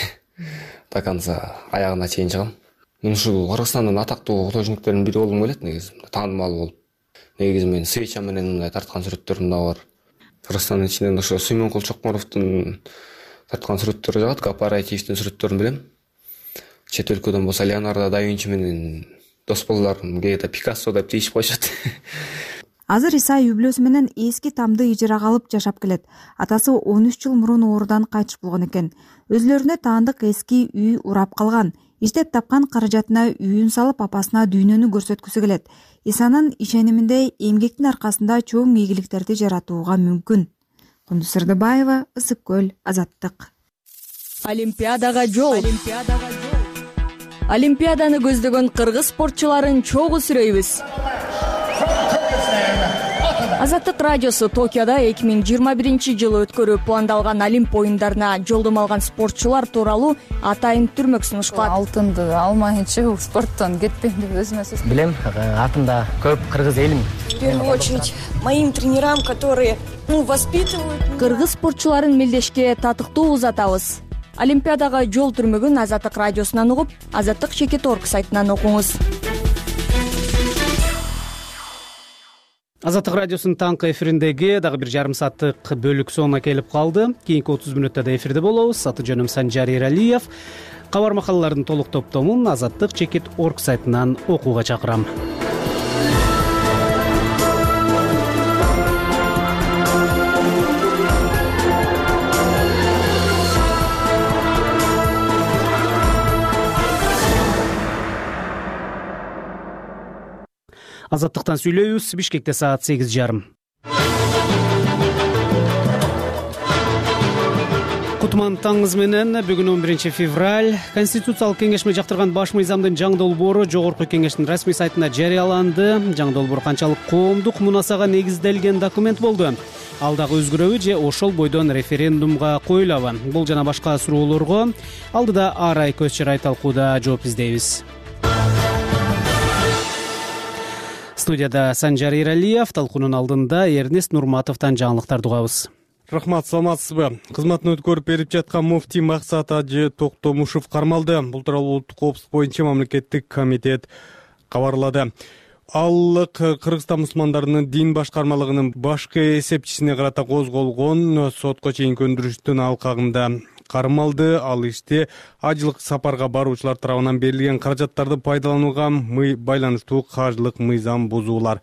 До конца аягына чейин чыгам. Мен ушул Кыргызстандын атактуу художниктеринин бири болгум келет негизи. Таанымал болуп. Негизи мен свеча менен мындай тарткан сүрөттөрүм да бар. Кыргызстандын ичинен ошо Сүймөнкул Чокморовдун тарткан сүрөттөрү жагат, кооперативдин сүрөттөрүн билем. Чет өлкөдөн болсо Леонардо да Винчи менен дос болдуларым, кээде Пикассо деп тийишип коюшат. Азыр Иса үй бүлөсү менен эски тамды ижарага алып жашап келет. Атасы 13 жыл мурун оорудан кайтыш болгон экен. Өзүлөрүнө таандык эски үй урап калган. Иштеп тапкан каражатына үйүн салып, апасына дүйнөнү көрсөткүсү келет. Исанын ишениминде эмгектин аркасында чоң ийгиликтерди жаратууга мүмкүн. Кундуз Сырдыбаева, Ысык көл, Азаттык. Олимпиадага жол. Олимпиаданы көздөгөн кыргыз спортчуларын чогуу сүрөйбүз. Азаттык радиосу Токиодо 2021-жылы өткөрүү пландалган Олимп оюндарына жолдомо алган спортчулар тууралуу атайын түрмөк сунушкан. Алтынды алмайынча бул спорттон кетпейм деп өзүмө сөз. Билем, атымда көп кыргыз элим. В первую очередь моим тренерам, которые воспитывают. Кыргыз спортчуларын мелдешке татыктуу узатабыз. Олимпиадага жол түрмөгүн Азаттык радиосунан угуп, azattik.org сайтынан окуңуз. Азаттык радиосунун таңкы эфириндеги дагы бир жарым сааттык бөлүк сонуна келип калды. Кийинки 30 мүнөттө да эфирде болобуз. Аты жөнүм Санжар Эралиев. Кабар макалалардын толук топтомун azattik.org сайтынан окууга чакырам. Азаттыктан сүйлөйбүз. Бишкекте саат 8:30. Кутман таңыңыз менен. Бүгүн 11 февраль. Конституциялык кеңешме жактырган баш мыйзамдын жаңы долбоору Жогорку кеңештин расмий сайтына жарыяланды. Жаңы долбоор канчалык коомдук мунасага негизделген документ болду? Ал дагы өзгөрөбү же ошол бойдон референдумга коюлабы? Бул жана башка суроолорго алдыда Арай көз чырай талкууда жооп издейбиз. Студияда Санжар Эралиев, талкуунун алдында Эрнест Нурматовдон жаңылыктарды угабыз. Рахмат, саламатсызбы? Кызматын өткөрүп берип жаткан муфтий Максат Ажы Токтомушев кармалды. Бул тууралуу Улуттук коопсуздук боюнча мамлекеттик комитет кабарлады. Ал Кыргызстан мусулмандарынын дин башкармалыгынын башкы эсепчисине карата козголгон сотко чейинки өндүрүштүн алкагында кармалды. Ал иште ажылык сапарга баруучулар тарабынан берилген каражаттарды пайдаланууга байланыштуу каржылык мыйзам бузуулар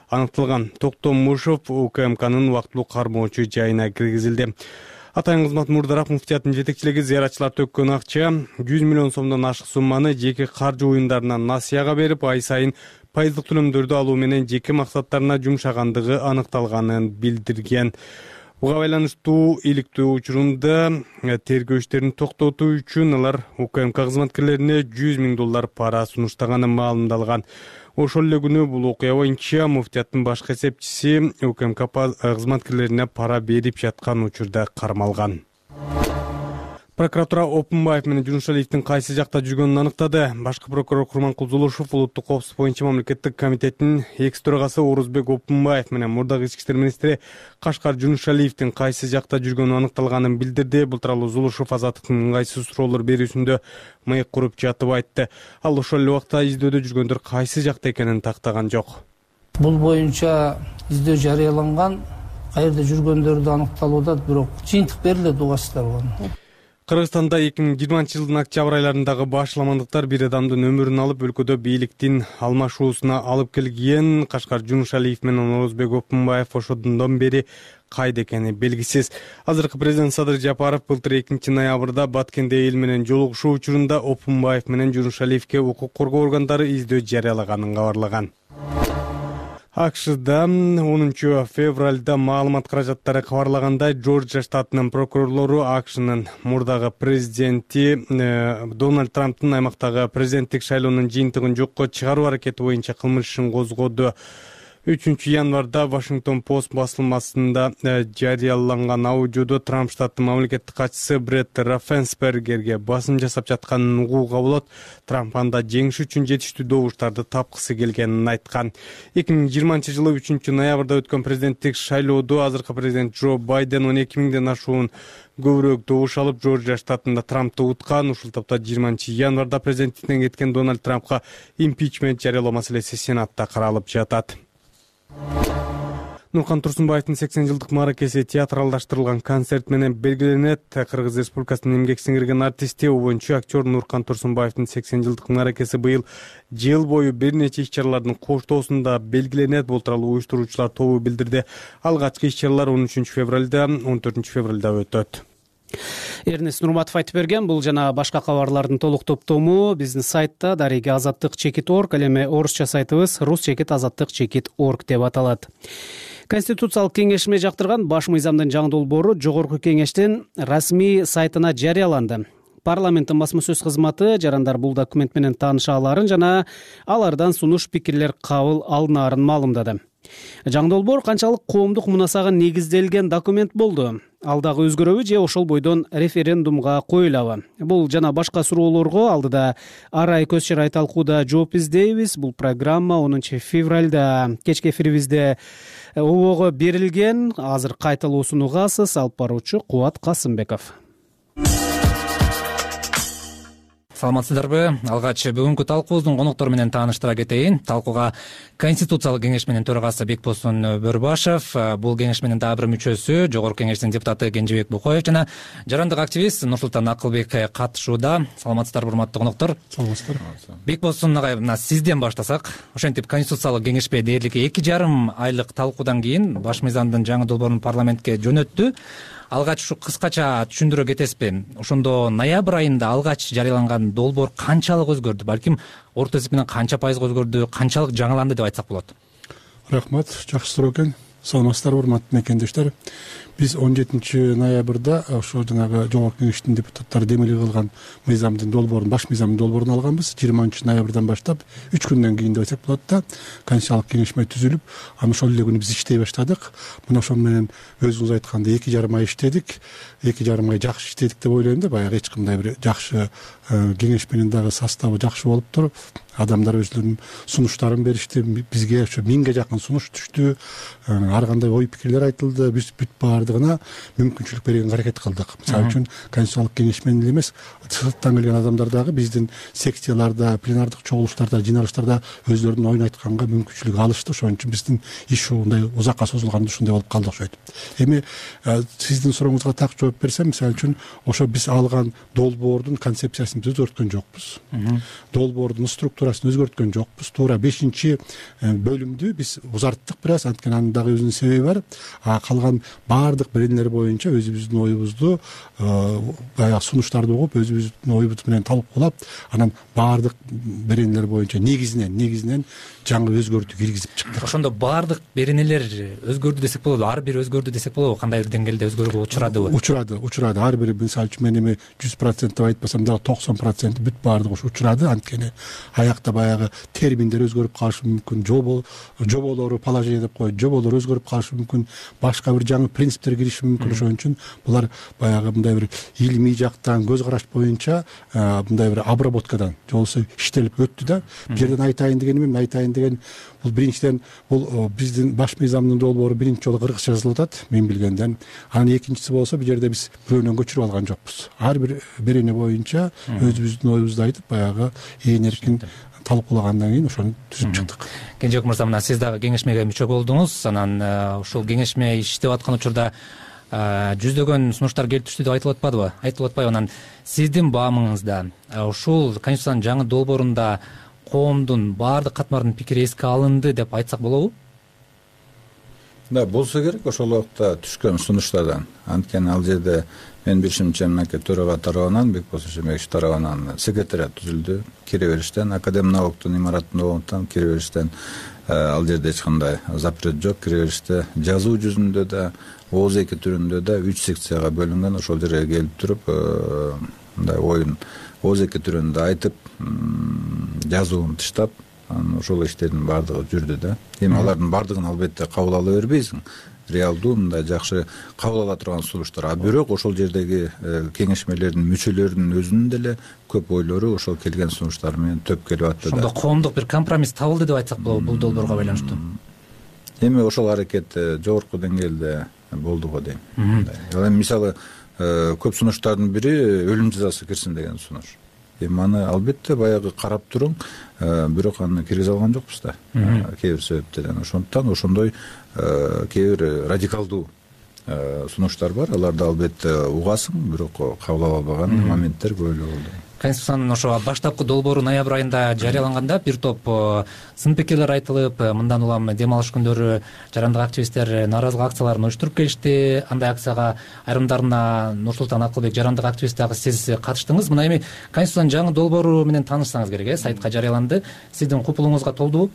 аныкталган. Токтомушев УКМКнын убактылуу кармоочу жайына киргизилди. Атайын кызмат мурдараак муфтияттын жетекчилиги зыяратчылар төккөн акча 100 миллион сомдон ашык сумманы жеке каржы оюндарына насыяга берип, ай сайын пайыздык төлөмдөрдү алуу менен жеке максаттарына жумшагандыгы аныкталганын билдирген. Буга байланыштуу иликтөө учурунда тергөө иштерин токтотуу үчүн алар УКМК кызматкерлерине 100 миң доллар пара сунуштаганы маалымдалган. Ошол эле күнү бул окуя боюнча муфтияттын башкы эсепчиси УКМК кызматкерлерине пара берип жаткан учурда кармалган. Прокуратура Опунбаев менен Жунушалиевдин кайсы жакта жүргөнүн аныктады. Башкы прокурор Курманкул Зулушев Улуттук коопсуздук боюнча мамлекеттик комитеттин экс төрагасы Орузбек Опунбаев менен мурдагы ички иштер министри Кашкар Жунушалиевдин кайсы жакта жүргөнү аныкталганын билдирди. Бул тууралуу Зулушев Азаттыктын ыңгайсыз суроолор берүүсүндө мыйык куруп жатып айтты. Ал ошол эле убакта издөөдө жүргөндөр кайсы жакта экенин тактаган жок. Бул боюнча издөө жарыяланган, каерде жүргөндөрдү аныкталууда, бирок жыйынтык берилет угасыздар болгон. Кыргызстанда 2020-жылдын октябрь айларындагы башламандыктар бир адамдын өмүрүн алып, өлкөдө бийликтин алмашуусуна алып келген. Кашкар Жунушалиев менен Орузбек Опунбаев ошондон бери кайда экени белгисиз. Азыркы президент Садыр Жапаров былтыр 2 ноябрда Баткенде эл менен жолугушуу учурунда Опунбаев менен Жунушалиевке укук коргоо органдары издөө жарыялаганын кабарлаган. АКШда 10 февралда маалымат каражаттары кабарлагандай, Жоржия штатынын прокурорлору АКШнын мурдагы президенти Дональд Трамптын аймактагы президенттик шайлоонун жыйынтыгын жокко чыгаруу аракети боюнча кылмыш ишин козгоду. 3 январда Вашингтон Пост басылмасында жарыяланган аудиодо Трамп штаттын мамлекеттик катчысы Бретт Раффенсбергерге басым жасап жатканын угууга болот. Трамп анда жеңиш үчүн жетиштүү добуштарды тапкысы келгенин айткан. 2020-жылы 3 ноябрда өткөн президенттик шайлоодо азыркы президент Джо Байден 12 миңден ашуун көбүрөөк добуш алып, Жоржия штатында Трампты уткан. Ушул тапта 20 январда президенттиктен кеткен Дональд Трампка импичмент жарыялоо маселеси Сенатта каралып жатат. Нуркан Турсунбаевдин 80 жылдык мааракеси театралдаштырылган концерт менен белгиленет. Кыргыз Республикасынын эмгек сиңирген артисти, обончу актер Нуркан Турсунбаевдин 80 жылдык мааракеси быйыл жыл бою бир нече иш-чаралардын коштоосунда белгиленет. Бул тууралуу уюштуруучулар тобу билдирди. Алгачкы иш-чаралар 13 февралда, 14 февралда өтөт. Эрнест Нурматов айтып берген. Бул жана башка кабарлардын толук топтому биздин сайтта дареги azattik.org, ал эми орусча сайтыбыз rus-azattik.org деп аталат. Конституциялык кеңешме жактырган баш мыйзамдын жаңы долбоору Жогорку кеңештин расмий сайтына жарыяланды. Парламенттин басма сөз кызматы жарандар бул документ менен тааныша аларын жана алардан сунуш пикирлер кабыл алынаарын маалымдады. жаңы долбоор канчалык коомдук мунасага негизделген документ болду? Ал дагы өзгөрөбү же ошол бойдон референдумга коюлабы? Бул жана башка суроолорго алдыда Арай көз чарай талкууда жооп издейбиз. Бул программа 10 февралда кечки эфирибизде обого берилген. Азыр кайталоо сунугасыз. Алып баруучу Кубат Касымбеков. Саламатсыздарбы? Алгач бүгүнкү талкуубуздун коноктору менен тааныштыра кетейин. Талкууга Конституциялык кеңешменин төрагасы Бекболсун Бөрбашев, бул кеңешменин дагы бир мүчөсү, жогорку кеңештин депутаты Кенжебек Букоев жана жарандык активист Нурсултан Акылбек катышууда. Саламатсыздарбы, урматтуу коноктор? Саламатсыздар. Бекболсун агай, мына сизден баштасак. Ошентип Конституциялык кеңешме дээрлик 2,5 айлык талкуудан кийин баш мыйзамдын жаңы долбоорун парламентке жөнөттү. Алгач ушу кыскача түшүндүрө кетесизби? Ошондо ноябрь айында алгач жарыяланган долбоор канчалык өзгөрдү? Балким орто эсеп менен канча пайызга өзгөрдү, канчалык жаңыланды деп айтсак болот? Рахмат, жакшы суроо экен. Саламатсыздарбы, урматтуу мекендештер. Биз 17 ноябрда ошо жанагы жогорку кеңештин депутаттары демилге кылган мыйзамдын долбоорун, баш мыйзамдын долбоорун алганбыз. 20 ноябрдан баштап 3 күндөн кийин деп айтсак болот да, Конституциялык кеңешме түзүлүп, аны ошол эле күнү биз иштей баштадык. Мына ошол менен өзүңүз айткандай 2,5 ай иштедик. 2,5 ай жакшы иштедик деп ойлойм да, баягы эч кандай бир жакшы кеңешменин дагы составы жакшы болуптур. Адамдар өзлөрүнүн сунуштарын беришти. Бизге ошо 1000ге жакын сунуш түштү. Ар кандай ой пикирлер айтылды. Биз бүт баардыгына мүмкүнчүлүк бергенге аракет кылдык. Мисалы үчүн Конституциялык кеңешмен эле эмес, сырттан келген адамдар дагы биздин секцияларда, пленардык чогулуштарда, жыйналыштарда өзлөрүнүн оюн айтканга мүмкүнчүлүк алышты. Ошон үчүн биздин иш ушундай узакка созулганда ушундай болуп калды окшойт. Эми сиздин сурооңузга так жооп берсем, мисалы үчүн ошо биз алган долбоордун концепциясын биз өзгөрткөн жокпуз. Долбоордун структурасын өзгөрткөн жокпуз. Туура 5-бөлүмдү биз узарттык бир аз, анткени анын дагы өзүнүн себеби бар. Калган баардык беренелер боюнча өзүбүздүн оюбузду, баягы сунуштарды угуп, өзүбүздүн оюбуз менен талкуулап, анан баардык беренелер боюнча негизинен жаңы өзгөртүү киргизип чыктык. Ошондо баардык беренелер өзгөрдү десек болобу? Ар бир өзгөрдү десек болобу? Кандай бир деңгээлде өзгөрүүгө учурадыбы? Учурады. Ар бири, мисалы үчүн мен эми 100% деп айтпасам дагы 90% бүт баардыгы учурады. Анткени аякта баягы терминдер өзгөрүп калышы мүмкүн, жоболору, положение деп коет, жоболор өзгөрүп калышы мүмкүн, башка бир жаңы принциптер кириши мүмкүн. Ошон үчүн булар баягы мындай бир илимий жактан, көз караш боюнча мындай бир обработкадан, же болбосо иштелип өттү да. Бул жерден айтайын деген бул биринчиден бул биздин баш мыйзамдын долбоору биринчи жолу кыргызча жазылып атат, мен билгенден. Анан экинчиси болсо бул жерде биз бирөөнөн көчүрүп алган жокпуз. Ар бир берене боюнча өзүбүздүн оюбузду айтып, баягы ээн эркин талкуулагандан кийин ошону түзүп чыктык. Кенжебек мырза, мына сиз дагы кеңешмеге мүчө болдуңуз. Анан ушул кеңешме иштеп аткан учурда жүздөгөн сунуштар келип түштү деп айтылып атпадыбы? Айтылып атпайбы? Анан сиздин баамыңызда ушул Конституциянын жаңы долбоорунда коомдун баардык катмардын пикири эске алынды деп айтсак болобу? Да, болсо керек ошол убакта түшкөн сунуштардан. Анткени ал жерде мен билишимче мынакей төрага тарабынан, Бекболсун Шембекович тарабынан секретариат түзүлдү. Кире бериштен, Академнауктун имараттын оңунтан кире бериштен ал жерде эч кандай запрет жок. Кире бериште жазуу жүзүндө да, ооз эки түрүндө да 3 секцияга бөлүнгөн. Ошол жерге келип туруп мындай оюн ооз эки түрүндө айтып, жазуун тыштап, ошол иштердин баардыгы жүрдү да. Эми алардын баардыгын албетте кабыл ала бербейсиң. Реалдуу мындай жакшы кабыл ала турган сунуштар. А бирок ошол жердеги кеңешмелердин мүчөлөрүнүн өзүнүн деле көп ойлору ошол келген сунуштар менен төп келип атты да. Ошондо коомдук бир компромисс табылды деп айтсак болобу бул долбоорго байланыштуу? Эми ошол аракет жогорку деңгээлде болду го дейм. Эми мисалы көп сунуштардын бири өлүм жазасы кирсин деген сунуш. Эми аны албетте баягы карап туруң, бирок аны киргизе алган жокпуз да. Кээ бир себептерден. Ошондуктан ошондой кээ бир радикалдуу сунуштар бар. Аларды албетте угасың, бирок кабыл ала албаган моменттер көп эле болду. Конституциянын ошо баштапкы долбоору ноябрь айында жарыяланганда бир топ сын пикирлер айтылып, мындан улам дем алыш күндөрү жарандык активисттер нааразылык акцияларын уюштуруп келишти. Андай акцияга айрымдарына Нурсултан Акылбек, жарандык активист дагы сиз катыштыңыз. Мына эми Конституциянын жаңы долбоору менен таанышсаңыз керек, сайтка жарыяланды. Сиздин купулуңузга толдубу?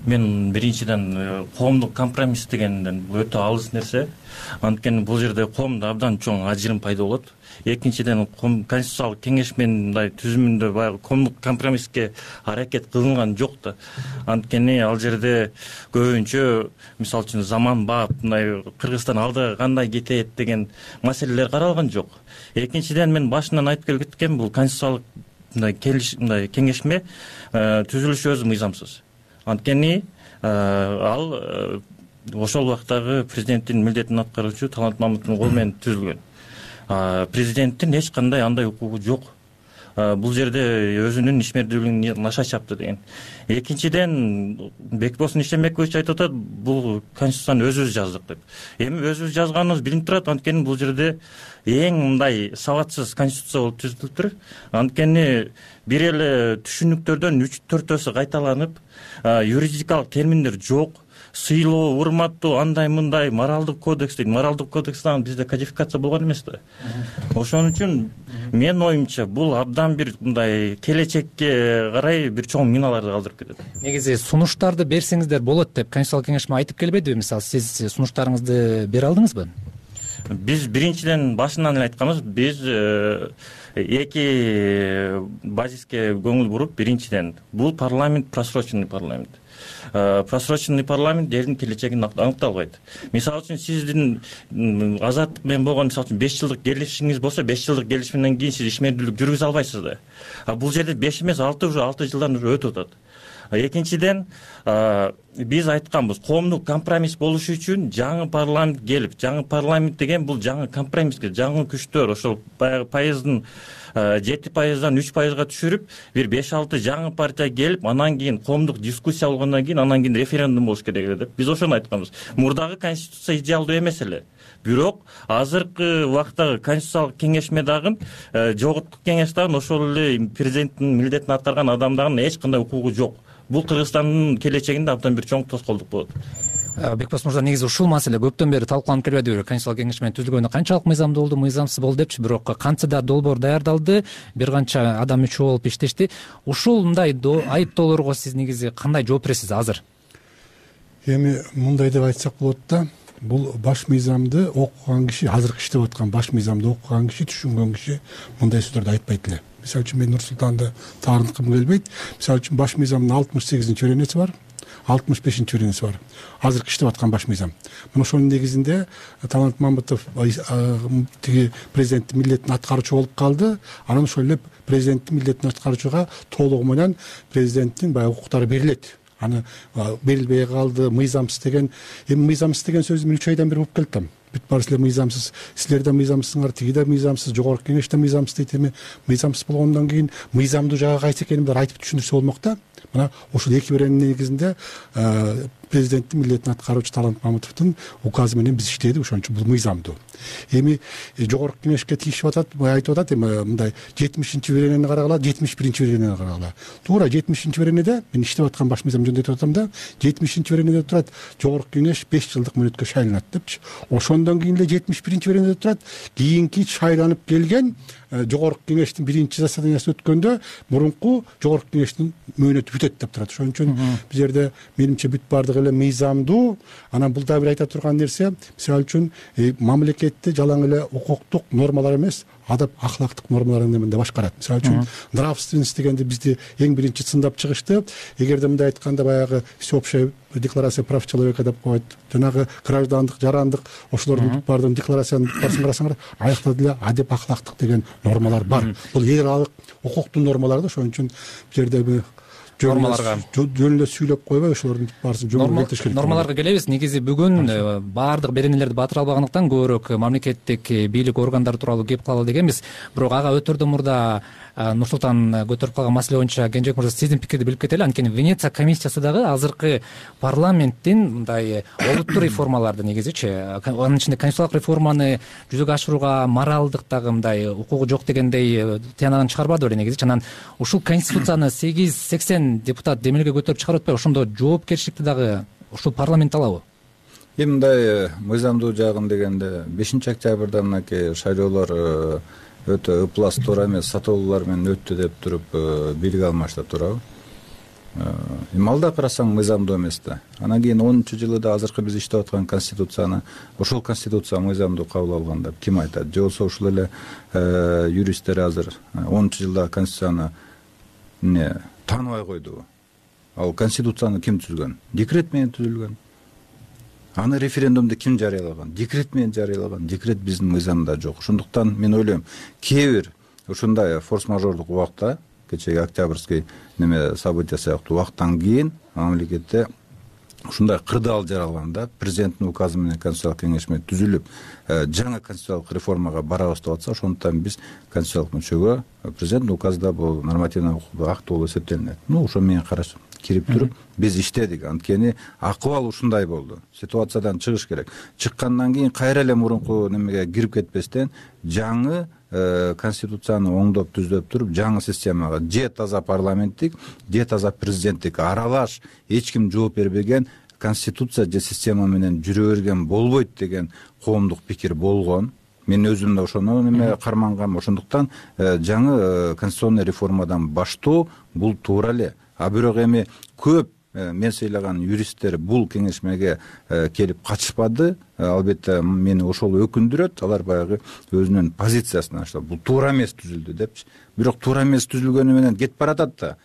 Мен биринчиден коомдук компромисс дегенден өтө алыс нерсе. Анткени бул жерде коомдо абдан чоң ажырым пайда болот. экинчиден конституциялык кеңеш менен мындай түзүмүндө баягы коомдук компромисске аракет кылынган жок да. Анткени ал жерде көбүнчө мисалы үчүн заманбап мындай Кыргызстан алдыга кандай кетет деген маселелер каралган жок. Экинчиден мен башынан айтып келгем, бул конституциялык мындай кеңешме түзүлүшү өзү мыйзамсыз. Анткени ал ошол убактагы президенттин милдетин аткаруучу Талант Мамытовдун колу менен түзүлгөн. Президенттин эч кандай андай укугу жок. Бул жерде өзүнүн ишмердүүлүгүн наша чапты деген. Экинчиден Бекболсун Ишембекович айтып атат, бул конституцияны өзүбүз жаздык деп. Эми өзүбүз жазганыбыз билинип турат, анткени бул жерде эң мындай сабатсыз конституция болуп түзүлүптүр. Анткени бир эле түшүнүктөрдөн 3-4 кайталанып, юридикалык терминдер жок. Сыйлоо, урматтоо, андай мындай моралдык кодекс дейт. Моралдык кодекстен бизде кодификация болгон эмес да. Ошон үчүн менин оюмча бул абдан бир мындай келечекке карай бир чоң миналарды калтырып кетет. Негизи сунуштарды берсеңиздер болот деп конституциялык кеңешме айтып келбедиби? Мисалы, сиз сунуштарыңызды бере алдыңызбы? Биз биринчиден башынан эле айтканбыз, биз эки базиске көңүл буруп, биринчиден бул парламент просроченный парламент. Просроченный парламент элдин келечегин аныктай албайт. Мисалы үчүн сиздин азаттык менен болгон мисалы үчүн 5 жылдык келишимиңиз болсо, 5 жылдык келишимден кийин сиз ишмердүүлүк жүргүзө албайсыз да. Бул жерде 5 эмес, 6 жылдан өтүп атат. Экинчиден биз айтканбыз, коомдук компромисс болушу үчүн жаңы парламент келип, жаңы парламент деген бул жаңы компромисске, жаңы күчтөр, ошол баягы пайыздын 7%-дан 3%га түшүрүп, бир 5-6 жаңы партия келип, анан кийин коомдук дискуссия болгондон кийин, анан кийин референдум болуш керек эле деп. Биз ошону айтканбыз. Мурдагы конституция идеалдуу эмес эле. Бирок азыркы убактагы конституциялык кеңешме дагы, жогорку кеңеш дагы ошол эле президенттин милдетин аткарган адам дагы эч кандай укугу жок. Бул Кыргызстандын келечегинде абдан бир чоң тоскоолдук болот. Бекболс мырза, негизи ушул маселе көптөн бери талкууланып келбедиби? Конституциялык кеңешменин түзүлгөнү канчалык мыйзамдуу болду, мыйзамсыз болду депчи, бирок кантсе да долбоор даярдалды, бир канча адам мүчө болуп иштешти. Ушул мындай айыптоолорго сиз негизи кандай жооп бересиз азыр? Эми мындай деп айтсак болот да, бул баш мыйзамды окуган киши, азыркы иштеп аткан баш мыйзамды окуган киши, түшүнгөн киши мындай сөздөрдү айтпайт эле. Мисалы үчүн мен Нур-Султанды таарынткым келбейт. Мисалы үчүн баш мыйзамдын 68-беренеси бар, 65-беренеси бар. Азыркы иштеп аткан баш мыйзам. Мына ошонун негизинде Талант Мамытов тиги президенттин милдетин аткаруучу болуп калды. Анан ошол эле президенттин милдетин аткаруучуга толугу менен президенттин баягы укуктары берилет. Аны берилбей калды, мыйзамсыз деген. Эми мыйзамсыз деген сөз мен 3 айдан бери угуп келдим. Бүт баары силер мыйзамсыз, силер да мыйзамсызсыңар, тиги да мыйзамсыз, жогорку кеңеш да мыйзамсыз дейт. Эми мыйзамсыз болгондон кийин мыйзамдуу жагы кайсы экенин айтып түшүндүрсө болмок да. Мына ушул 2 беренин негизинде президенттин милдетин аткаруучу Талант Мамытовдун указы менен биз иштедик, ошон үчүн бул мыйзамдуу. Эми жогорку кеңешке тийишип атат, айтып атат, эми мындай 70-беренени карагыла, 71-беренени карагыла. Туура 70-беренеде мен иштеп аткан баш мыйзам жөнүндө айтып атам да, 70-беренеде турат, жогорку кеңеш 5 жылдык мөөнөткө шайланат депчи. Ошондон кийин эле 71-беренеде турат, кийинки шайланып келген жогорку кеңештин биринчи заседаниясы өткөндө мурунку жогорку кеңештин мөөнөтү бүтөт деп турат. Ошон үчүн бул жерде менимче бүт баардыгы эле мыйзамдуу. Анан бул да бир айта турган нерсе, мисалы үчүн мамлекетти жалаң эле укуктук нормалар эмес, адап ахлактык нормалар менен башкарат. Мисалы үчүн нравственность дегенди бизди эң биринчи сындап чыгышты. Эгерде мындай айтканда баягы всеобщая декларация прав человека деп коет, жанагы граждандык, жарандык, ошолордун баардыгын декларациянын барсын карасаңар, аякта деле адеп ахлактык деген нормалар бар. Бул эл аралык укуктун нормалары да. Ошон үчүн бул жерде нормаларга жөн эле сүйлөп койбой, ошолордун баарысын жөнгө келтириш керек. Нормаларга келебиз. Негизи бүгүн баардык беренелерди батыра албагандыктан көбүрөөк мамлекеттик бийлик органдары тууралуу кеп калалы дегенбиз. Бирок ага өтөрдөн мурда Нур-Султан көтөрүп калган маселе боюнча Кенжебек мырза сиздин пикирди билип кетели. Анткени Венеция комиссиясы дагы азыркы парламенттин мындай олуттуу реформаларды негизичи, анын ичинде конституциялык реформаны жүзөгө ашырууга моралдык дагы мындай укугу жок дегендей тыянагын чыгарбады беле негизичи. Анан ушул конституцияны 880 депутат демилге көтөрүп чыгарып атпайбы? Ошондо жоопкерчиликти дагы ушул парламент алабы? Эми мындай мыйзамдуу жагын дегенде 5-октябрда мынакей шайлоолор өтө ыплас туура эмес сатоолуулар менен өттү деп туруп бийлик алмашта туурабы? Малда карасаң мыйзамдуу эмес да. Анан кийин 10-жылы азыркы биз иштеп аткан конституцияны, ошол конституция мыйзамдуу кабыл алган деп ким айтат? Же болбосо ушул эле юристтер азыр 10-жылда конституцияны тааныбай койдубу? Ал конституцияны ким түзүлгөн? Декрет менен түзүлгөн. Аны референдумду ким жарыялаган? Декрет менен жарыялаган. Декрет биздин мыйзамда жок. Ошондуктан мен ойлойм, кээ бир ушундай форс-мажордук убакта, кечеги октябрьский события сыяктуу убактан кийин мамлекетте ушундай кырдаал жаралганда президенттин указы менен конституциялык кеңеш менен түзүлүп, жаңы конституциялык реформага барабыз деп атса, ошондуктан биз конституциялык мүчөгө президенттин указда бул нормативный акт болуп эсептелинет. Ошо менен караш кирип туруп биз иштедик. Анткени акыбал ушундай болду. Ситуациядан чыгыш керек. Чыккандан кийин кайра эле мурунку немеге кирип кетпестен жаңы конституцияны оңдоп түздөп туруп жаңы системага же таза парламенттик, же таза президенттик аралаш эч ким жооп бербеген конституция же система менен жүрө берген болбойт деген коомдук пикир болгон. Мен өзүм да ошону кармангам. Ошондуктан жаңы конституционный реформадан баштоо бул туура эле. А бирок эми көп мен сыйлаган юристтер бул кеңешмеге келип катышпады. Албетте мени ошол өкүндүрөт. Алар баягы өзүнүн позициясын аштап, бул туура эмес түзүлдү депчи. Бирок туура эмес түзүлгөнү менен кетип баратат да.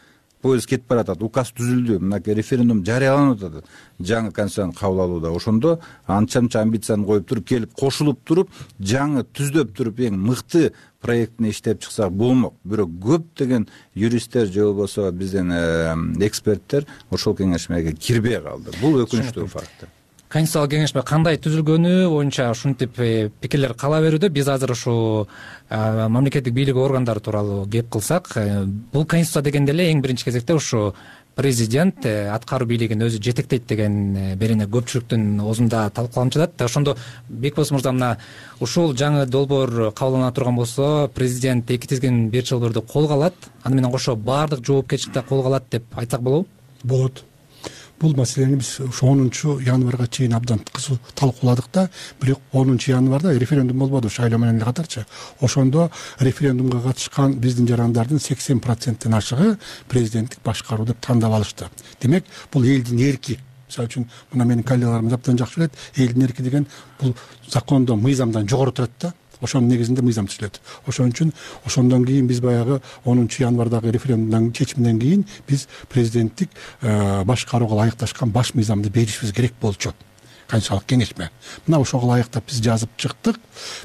Поезд кетип баратат. Указ түзүлдү. Мынакей референдум жарыяланып атат. Жаңы конституцияны кабыл алууда. Ошондо анча-мынча амбицияны коюп туруп, келип кошулуп туруп, жаңы түздөп туруп, эң мыкты проектини иштеп чыксак болмок. Бирок көптөгөн юристтер же болбосо биздин эксперттер ошол кеңешмеге кирбей калды. Бул өкүнүчтүү факт. Конституциялык кеңешме кандай түзүлгөнү боюнча ушинтип пикирлер кала берүүдө. Биз азыр ушу мамлекеттик бийлик органдары тууралуу кеп кылсак, бул конституция дегенде эле эң биринчи кезекте ушу президент аткаруу бийлигин өзү жетектейт деген берене көпчүлүктүн оозунда талкууланып жатат. Ошондо Бекбос мырза, мына ушул жаңы долбоор кабылдана турган болсо, президент 2 тизгин бир долбоорду колго алат, аны менен кошо баардык жоопкерчиликти колго алат деп айтсак болобу? Болот. Бул маселени биз ушу 10-январга чейин абдан кызуу талкууладык да, бирок 10-январда референдум болбоду, шайлоо менен эле катарчы. Ошондо референдумга катышкан биздин жарандардын 80%-тен ашыгы президенттик башкаруу деп тандап алышты. Демек, бул элдин эрки. Мисалы үчүн, мына менин коллегаларым абдан жакшы билет, элдин эрки деген бул закондон, мыйзамдан жогору турат да. Ошонун негизинде мыйзам түзүлөт. Ошон үчүн ошондон кийин биз баягы 10-январдагы референдумдун чечиминен кийин биз президенттик башкарууга ылайыкташкан баш мыйзамды беришибиз керек болчу. Конституциялык кеңешме. Мына ошого ылайыктап биз жазып чыктык.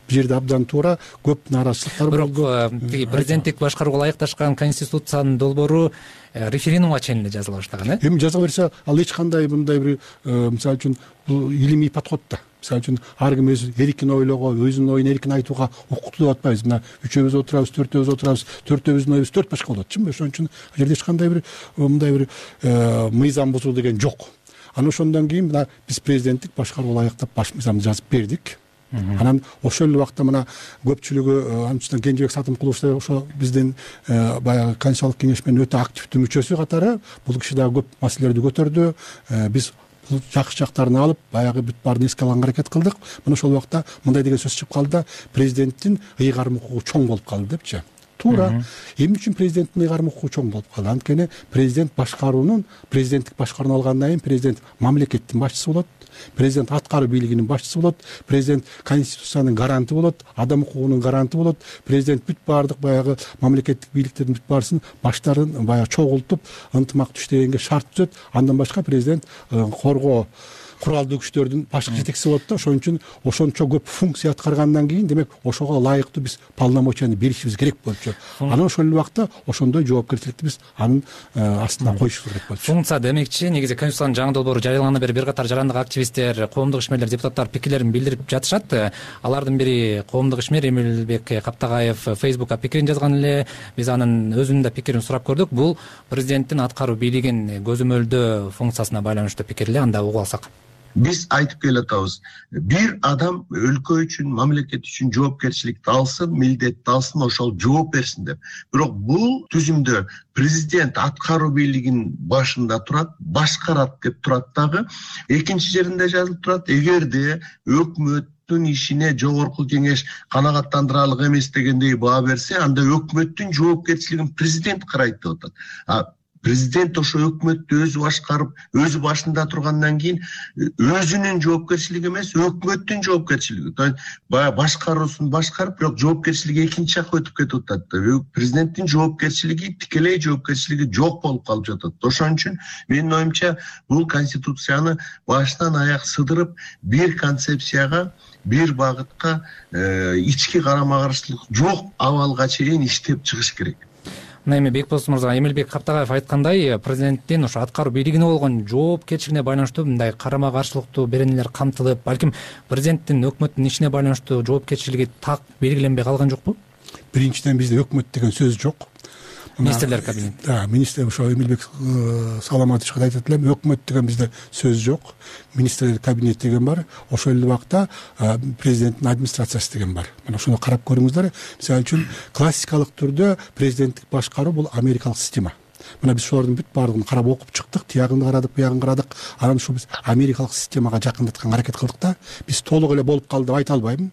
Бул жерде абдан туура көп нааразычылыктар болду. Бирок президенттик башкарууга ылайыкташкан конституциянын долбоору референдумга чейин эле жазыла баштаган, Эми жазыла берсе, ал эч кандай мындай бир, мисалы үчүн, бул илимий подход да. Мисалы үчүн, ар ким өз эркин ойлоого, өзүнүн оюн эркин айтууга укуктуу деп атпайбыз. Мына 3-өбүз отурабыз, 4-өбүз отурабыз, 4-өбүздүн оюбуз 4 башка болот, чынбы? Ошон үчүн ал жерде эч кандай бир мындай бир мыйзам бузуу деген жок. Анан ошондон кийин мына биз президенттик башкарууга ылайыктап баш мыйзамды жазып бердик. Анан ошол эле убакта мына көпчүлүгү анчадан Кенжебек Сатымкулов ошо биздин баягы конституциялык кеңешменин өтө активдүү мүчөсү катары бул киши дагы көп маселелерди көтөрдү. Биз бул жакшы жактарын алып, баягы бүт баарын эске алганга аракет кылдык. Мына ошол убакта мындай деген сөз чыгып калды да, президенттин ыйгарым укугу чоң болуп калды депчи. Туура. Эмне үчүн президенттин ыйгарым укугу чоң болуп калды? Анткени президент башкаруунун, президенттик башкарууну алгандан кийин президент мамлекеттин башчысы болот, президент аткаруу бийлигинин башчысы болот, президент конституциянын гаранты болот, адам укугунун гаранты болот, президент бүт баардык баягы мамлекеттик бийликтердин бүт баарысын баштарын баягы чогултуп, ынтымактуу иштегенге шарт түзөт. Андан башка президент коргоо куралдуу күчтөрдүн башкы жетекчиси болот да. Ошон үчүн ошончо көп функция аткаргандан кийин, демек, ошого ылайыктуу биз полномочияны беришибиз керек болчу. Анан ошол убакта ошондой жоопкерчиликти биз анын астына коюшубуз керек болчу. Функция демекчи, негизи конституциянын жаңы долбоору жарыялангандан бери бир катар жарандык активисттер, коомдук ишмерлер, депутаттар пикирлерин билдирип жатышат. Алардын бири коомдук ишмер Эмилбек Каптагаев Facebook'ка пикирин жазган эле. Биз анын өзүнүн да пикирин сурап көрдүк. Бул президенттин аткаруу бийлигин көзөмөлдөө функциясына байланыштуу пикир эле. Анда угуп алсак. Биз айтып келатабыз, бир адам өлкө үчүн, мамлекет үчүн жоопкерчиликти алсын, милдетти алсын, ошол жооп берсин деп. Бирок бул түзүмдө президент аткаруу бийлигинин башында турат, башкарат деп турат дагы. Экинчи жеринде жазылып турат, эгерде өкмөттүн ишине жогорку кеңеш канагаттандырарлык эмес дегендей баа берсе, анда өкмөттүн жоопкерчилигин президент карайт деп атат. президент ошо өкмөттү өзү башкарып, өзү башында тургандан кийин өзүнүн жоопкерчилиги эмес, өкмөттүн жоопкерчилиги. Баягы башкаруусун башкарып, бирок жоопкерчилиги экинчи жакка өтүп кетип атат да. Президенттин жоопкерчилиги, тикелей жоопкерчилиги жок болуп калып жатат. Ошон үчүн менин оюмча бул конституцияны башынан аяк сыдырып, бир концепцияга, бир багытка, ички карама каршылык жок абалга чейин иштеп чыгыш керек. Мына эми Бекболсун мырза, Эмилбек Каптагаев айткандай, президенттин ошо аткаруу бийлигине болгон жоопкерчилигине байланыштуу мындай карама каршылыктуу беренелер камтылып, балким президенттин өкмөттүн ишине байланыштуу жоопкерчилиги так белгиленбей калган жокпу? Биринчиден бизде өкмөт деген сөз жок. Министрлер кабинети. Министр ошо Эмилбек Саламатович айтат элем, өкмөт деген бизде сөз жок. Министрлер кабинети деген бар. Ошол эле убакта президенттин администрациясы деген бар. Мына ошону карап көрүңүздөр. Мисалы үчүн классикалык түрдө президенттик башкаруу бул америкалык система. Мына биз ошолордун бүт баардыгын карап окуп чыктык, тиягын карадык, буягын карадык. Анан ушу биз америкалык системага жакындатканга аракет кылдык да. Биз толук эле болуп калды деп айта албайм.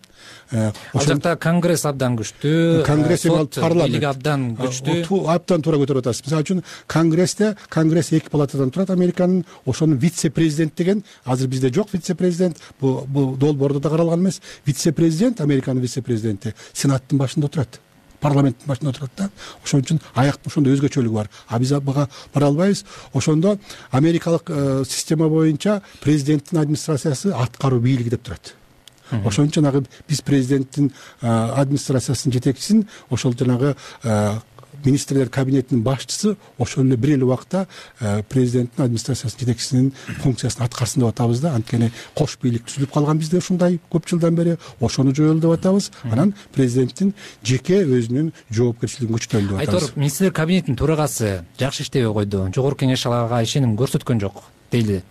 Ал жакта конгресс абдан күчтүү, конгресс бийлиги абдан күчтүү. Абдан туура көтөрүп атасыз. Мисалы үчүн конгресс эки палатадан турат Американын. Ошонун вице-президент деген азыр бизде жок вице-президент. Бул долбоордо да каралган эмес. Вице-президент, Американын вице-президенти сенаттын башында отурат. Парламенттин башында отурат да. Ошон үчүн аяктын ошондой өзгөчөлүгү бар. Биз буга бара албайбыз. Ошондо америкалык система боюнча президенттин администрациясы аткаруу бийлиги деп турат. Ошон үчүн жанагы биз президенттин администрациясынын жетекчисин, ошол жанагы министрлер кабинетинин башчысы ошол эле бир эле убакта президенттин администрациясынын жетекчисинин функциясын аткарсын деп атабыз да. Анткени кош бийлик түзүлүп калган бизде ушундай көп жылдан бери. Ошону жоёлу деп атабыз. Анан президенттин жеке өзүнүн жоопкерчилигин күчөтөлү деп атабыз. Айтор, министрлер кабинетинин төрагасы жакшы иштебей койду. Жогорку кеңеш ага ишеним көрсөткөн жок дейли.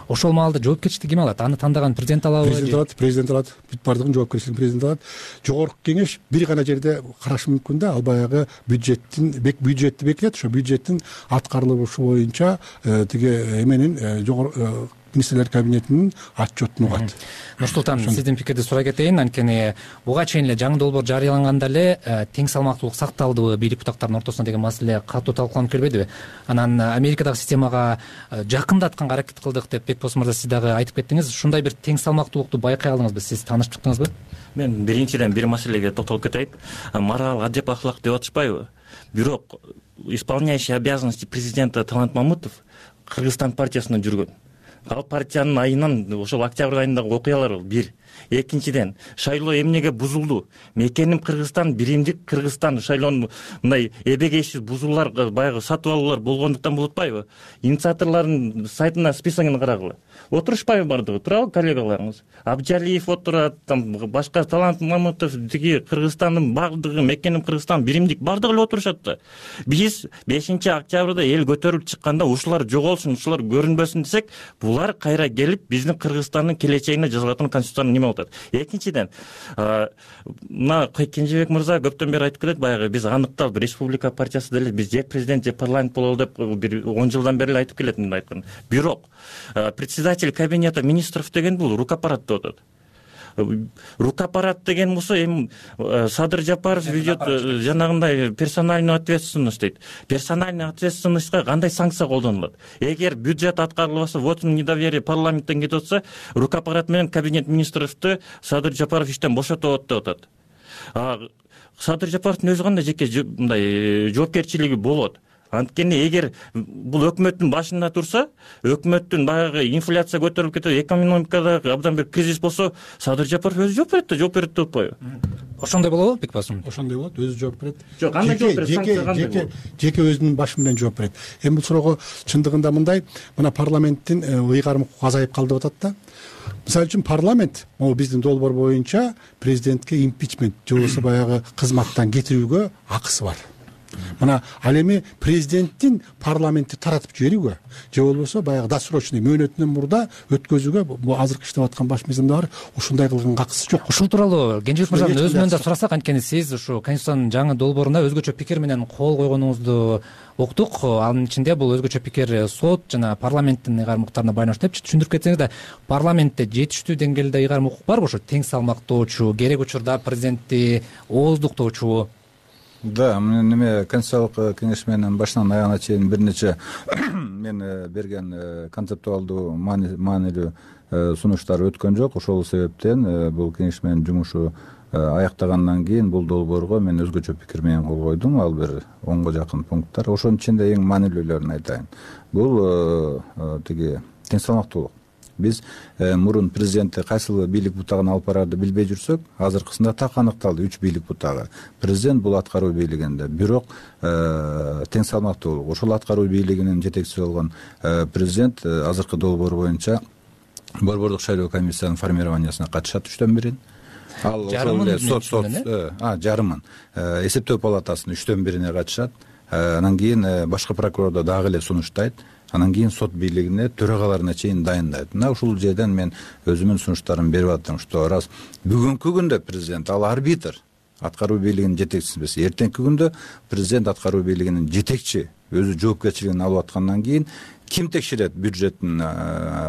Ошол маалда жоопкерчиликти ким алат? Аны тандаган президент алабы? Президент алат. Бүт баардыгын жоопкерчилигин президент алат. Жогорку кеңеш бир гана жерде карашы мүмкүн да. Ал баягы бюджетти бекитет. Ошо бюджеттин аткарылышы боюнча тиги эменин министрлер кабинетинин отчетун угат. Нурсултан, сиздин пикирди сурай кетейин. Анткени буга чейин эле жаңы долбоор жарыяланганда эле тең салмактуулук сакталдыбы бийлик бутактарынын ортосунда деген маселе катуу талкууланып келбедиби? Анан Америкадагы системага жакындатканга аракет кылдык деп Бекболсун мырза сиз дагы айтып кеттиңиз. Ушундай бир тең салмактуулукту байкай алдыңызбы? Сиз таанышып чыктыңызбы? Мен биринчиден бир маселеге токтолуп кетейин. Морал, адеп, ахлак деп атышпайбы? Бирок исполняющий обязанности президента Талант Мамутов Кыргызстан партиясында жүргөн. Ал партиянын айынан ошол октябрь айындагы окуялар бир. Экинчиден, шайлоо эмнеге бузулду? Мекеним Кыргызстан, биримдик Кыргызстан шайлоонун мындай эбегейсиз бузуулар, баягы сатып алуулар болгондуктан болуп атпайбы? Инициаторлордун сайтына списогун карагыла. Отурушпайбы бардыгы? Турабы коллегаларыңыз? Абджалиев отурат, башка Талант Мамутов, тиги Кыргызстандын бардыгы, мекеним Кыргызстан, биримдик бардыгы эле отурушат да. Биз 5-октябрда эл көтөрүлүп чыкканда ушулар жоголсун, ушулар көрүнбөсүн десек, булар кайра келип биздин Кыргызстандын келечегине жазылатын конституцияны неме атат. Экинчиден, мына Кенжебек мырза көптөн бери айтып келет, баягы биз аныкталып республика партиясы деле биз же президент же парламент бололу деп бир 10 жылдан бери эле айтып келет мындай айткан. Бирок председатель кабинета министров деген бул рукапарат деп атат. Рукапарат деген болсо эми Садыр Жапаров ведет жанагындай персональную ответственность дейт. Персональный ответственностька кандай санкция колдонулат? Эгер бюджет аткарылбаса, вотум недоверие парламенттен кетип атса, рукапарат менен кабинет министровду Садыр Жапаров иштен бошотот деп атат. Садыр Жапаровдун өзү кандай жеке мындай жоопкерчилиги болот? Анткени эгер бул өкмөттүн башында турса, өкмөттүн баягы инфляция көтөрүлүп кетет, экономикада абдан бир кризис болсо, Садыр Жапаров өзү жооп берет деп атпайбы? Ошондой болобу, Бекболсун? Ошондой болот, өзү жооп берет. Жок, кандай жооп берет? Санкция кандай болот? Жеке өзүнүн башы менен жооп берет. Эми бул суроого чындыгында мындай, мына парламенттин ыйгарым укугу азайып калды деп атат да. Мисалы үчүн парламент, могу биздин долбоор боюнча президентке импичмент же болбосо баягы кызматтан кетирүүгө акысы бар. Мына ал эми президенттин парламентти таратып жиберүүгө же болбосо баягы досрочный мөөнөтүнөн мурда өткөзүүгө бул азыркы иштеп аткан баш мыйзамда бар, ушундай кылган акысы жок. Ушул тууралуу Кенжебек мырзанын өзүнөн да сурасак, анткени сиз ушу конституциянын жаңы долбооруна өзгөчө пикир менен кол койгонуңузду уктук. Анын ичинде бул өзгөчө пикир сот жана парламенттин ыйгарым укуктарына байланыштуу деп түшүндүрүп кетсеңиз да, парламентте жетиштүү деңгээлде ыйгарым укук барбы? Ошо тең салмактоочу, керек учурда президентти ооздуктоочу? Да, неме конституциялык кеңеш менен башынан аягына чейин бир нече мен берген концептуалдуу маанилүү сунуштар өткөн жок. Ошол себептен бул кеңеш менен жумушу аяктагандан кийин бул долбоорго мен өзгөчө пикир менен кол койдум. Ал бир 10го жакын пункттар. Ошонун ичинде эң маанилүүлөрүн айтайын. Бул тиги тең салмактуулук. Биз мурун президентти кайсыл бийлик бутагына алып барарды билбей жүрсөк, азыркысында так аныкталды 3 бийлик бутагы. Президент бул аткаруу бийлигинде, бирок тең салмактуулук. Ошол аткаруу бийлигинин жетекчиси болгон президент азыркы долбоор боюнча борбордук шайлоо комиссиянын формированиясына катышат 3төн 1. Ал жарымын эсептөө палатасынын 3төн 1 катышат. Анан кийин башкы прокурордо дагы эле сунуштайт. Анан кийин сот бийлигине төрагаларына чейин дайындайт. Мына ушул жерден мен өзүмдүн сунуштарымды берип аттым, что раз бүгүнкү күндө президент ал арбитр, аткаруу бийлигинин жетекчиси эмес. Эртеңки күндө президент аткаруу бийлигинин жетекчи өзү жоопкерчилигин алып аткандан кийин ким текшерет бюджеттин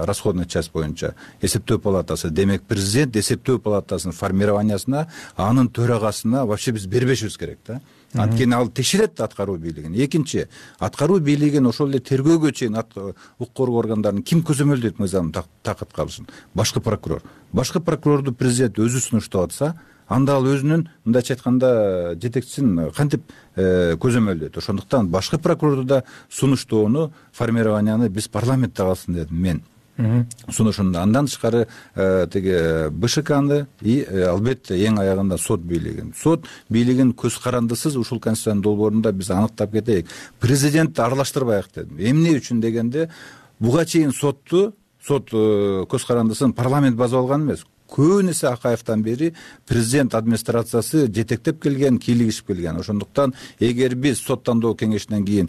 расходный часть боюнча? Эсептөө палатасы. Демек президент эсептөө палатасынын формированиясына, анын төрагасына вообще биз бербешибиз керек да. Анткени ал текшерет аткаруу бийлигин. Экинчи, аткаруу бийлигин ошол эле тергөөгө чейин укук коргоо органдарын ким көзөмөлдөйт мыйзам такат калышын? Башкы прокурор. Башкы прокурорду президент өзү сунуштап атса, анда ал өзүнүн мындайча айтканда жетекчисин кантип көзөмөлдөйт. Ошондуктан башкы прокурорду да сунуштоону, формированияны биз парламентте калсын дедим мен. Сунушунда андан тышкары тиги БШКны и албетте эң аягында сот бийлигин. Сот бийлигин көз карандысыз ушул конституциянын долбоорунда биз аныктап кетейик. Президентти аралаштырбайык дедим. Эмне үчүн дегенде, буга чейин сот көз карандысын парламент базып алган эмес. Көп эсе Акаевтан бери президент администрациясы жетектеп келген, кийлигишип келген. Ошондуктан эгер биз сот тандоо кеңешинен кийин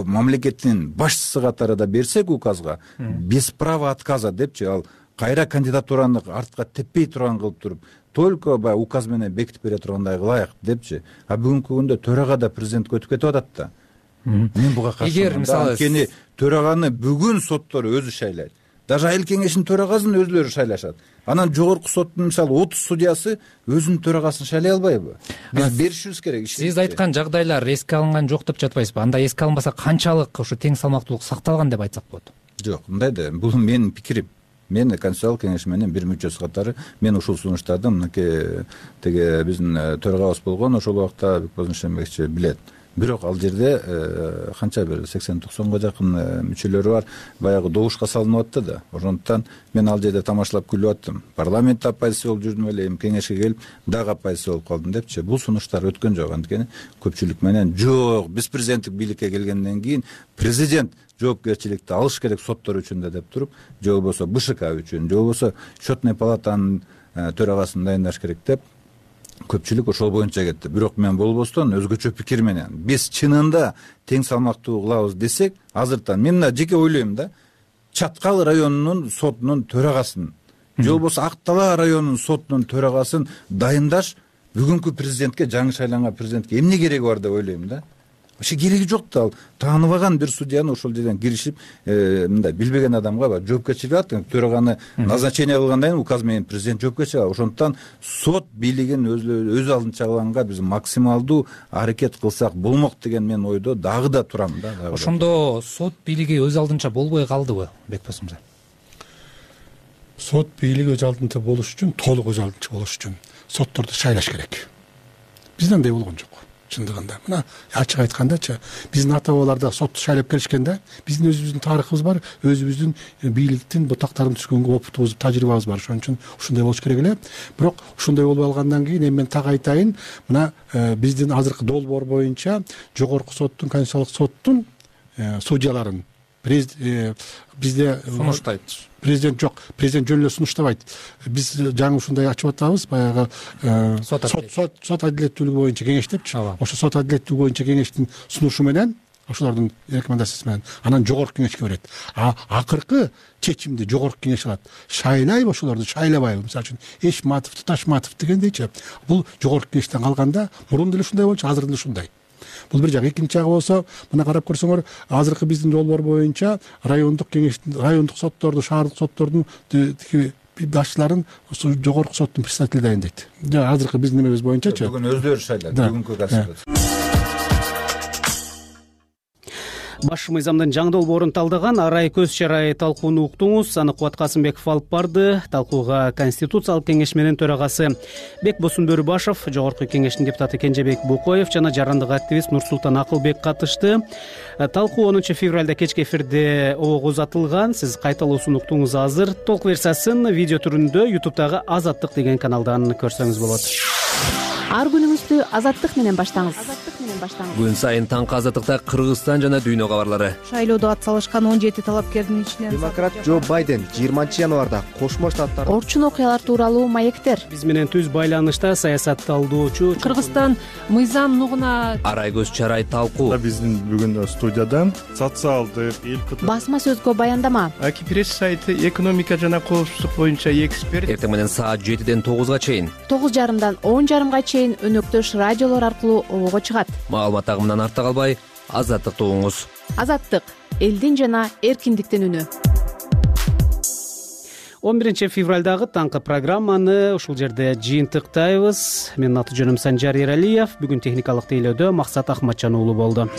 мамлекеттин башчысы катарында берсек указга, без права отказа депчи, ал кайра кандидатураны артка теппей турган кылып туруп, только баягы указ менен бекитип бере тургандай кылайык депчи. А бүгүнкү күндө төрага да президентке өтүп кетип атат да. Мен буга каршымын. Эгер мисалы анткени төраганы бүгүн соттор өзү шайлайт. Даже айыл кеңешинин төрагасын өзүлөрү шайлашат. Анан жогорку соттун мисалы 30 судьясы өзүнүн төрагасын шайлай албайбы? Биз беришибиз керек. Сиз айткан жагдайлар эске алынган жок деп жатпайсызбы? Анда эске алынбаса канчалык ушу тең салмактуулук сакталган деп айтсак болот? Жок, мындай да, бул менин пикирим. Мен конституциялык кеңеш менен бир мүчөсү катары мен ушул сунуштарды мынакей тиги биздин төрагабыз болгон ошол убакта Бекболсун Шембекович билет. Бирок ал жерде канча бир 80-90го жакын мүчөлөрү бар, баягы добушка салынып атты да. Ошондуктан мен ал жерде тамашалап күлүп аттым. Парламентте оппозиция болуп жүрдүм эле, эми кеңешке келип дагы оппозиция болуп калдым депчи. Бул сунуштар өткөн жок, анткени көпчүлүк менен жок, биз президенттик бийликке келгенден кийин президент жоопкерчиликти алыш керек соттор үчүн да деп туруп, же болбосо БШК үчүн, же болбосо счетный палатанын төрагасын дайындаш керек деп көпчүлүк ошол боюнча кетти. Бирок мен болбостон өзгөчө пикир менен биз чынында тең салмактуу кылабыз десек, азыртан мен мына жеке ойлойм да, Чаткал районунун сотунун төрагасын, же болбосо Ак Дала районунун сотунун төрагасын дайындаш бүгүнкү президентке, жаңы шайланган президентке эмне кереги бар деп ойлойм да. Вообще кереги жок да, ал тааныбаган бир судьяны ошол жерден киришип, мындай билбеген адамга жоопкерчилик алат, төраганы назначение кылгандан кийин указ менен президент жоопкерчилик алат. Ошондуктан сот бийлигин өз алдынча кылганга биз максималдуу аракет кылсак болмок деген мен ойдо дагы да турам да. Ошондо сот бийлиги өз алдынча болбой калдыбы, Бекболсун мырза? Сот бийлиги өз алдынча болуш үчүн, толук өз алдынча болуш үчүн сотторду шайлаш керек. Бизде андай болгон жок. Чындыгында мына ачык айткандачы, биздин ата бабаларда сотту шайлап келишкен да, биздин өзүбүздүн тарыхыбыз бар, өзүбүздүн бийликтин бутактарын түшкөнгө опытыбыз, тажрыйбабыз бар. Ошон үчүн ушундай болуш керек эле. Бирок ушундай болуп алгандан кийин эми мен так айтайын, мына биздин азыркы долбоор боюнча жогорку соттун, конституциялык соттун судьяларын бизде сунуштайт. Президент жок, президент жөн эле сунуштабайт. Биз жаңы ушундай ачып атабыз, баягы сот адилеттүүлүгү боюнча кеңеш депчи. Ошо сот адилеттүүлүгү боюнча кеңештин сунушу менен, ошолордун рекомендациясы менен анан жогорку кеңешке берет. Акыркы чечимди жогорку кеңеш алат. Шайлайбы ошолорду, шайлабайбы? Мисалы үчүн Эшматовду, Ташматов дегендейчи. Бул жогорку кеңештен калганда мурун деле ушундай болчу, азыр деле ушундай. Бул бир жак. Экинчи жагы болсо, мына карап көрсөңөр, азыркы биздин долбоор боюнча райондук кеңештин, райондук сотторду, шаардык соттордун башчыларын ошо жогорку соттун председатели дайындайт. Азыркы биздин немебиз боюнчачы бүгүн өздөрү шайлайт, бүгүнкү конституция. Баш мыйзамдын жаңы долбоорун талдаган арай көз чарай талкууну уктуңуз. Аны Кубат Касымбеков алып барды. Талкууга Конституциялык кеңеш менен төрагасы Бекбосун Бөрүбашев, жогорку кеңештин депутаты Кенжебек Букоев жана жарандык активист Нурсултан Акылбек катышты. Талкуу 10 февралда кечки эфирде обого узатылган. Сиз кайталоосун уктуңуз азыр. Толук версиясын видео түрүндө YouTube'дагы Азаттык деген каналдан көрсөңүз болот. Ар күнүңүздү Азаттык менен баштаңыз. Күн сайын таңкы Азаттыкта Кыргызстан жана дүйнө кабарлары. Шайлоодо ат салышкан 17 талапкердин ичинен демократ Джо Байден 20 январда Кошмо Штаттар орчун окуялар тууралуу маектер. Биз менен түз байланышта саясат талдоочу Кыргызстан мыйзам нугуна арай көз чарай талкуу. Биздин бүгүн студиядан социалдык басма сөзгө баяндама. Аки пресс сайты экономика жана коопсуздук боюнча эксперт. Эртең менен саат 7ден 9га чейин 9:30дан 10:30га чейин өнөктөш радиолор аркылуу обого чыгат. Маалымат агымынан артта калбай, Азаттыкты угуңуз. Азаттык — элдин жана эркиндиктин үнү. 11 февралдагы таңкы программаны ушул жерде жыйынтыктайбыз. Менин аты жөнүм Санжар Эралиев. Бүгүн техникалык тейлөөдө Максат Ахматжан уулу болду.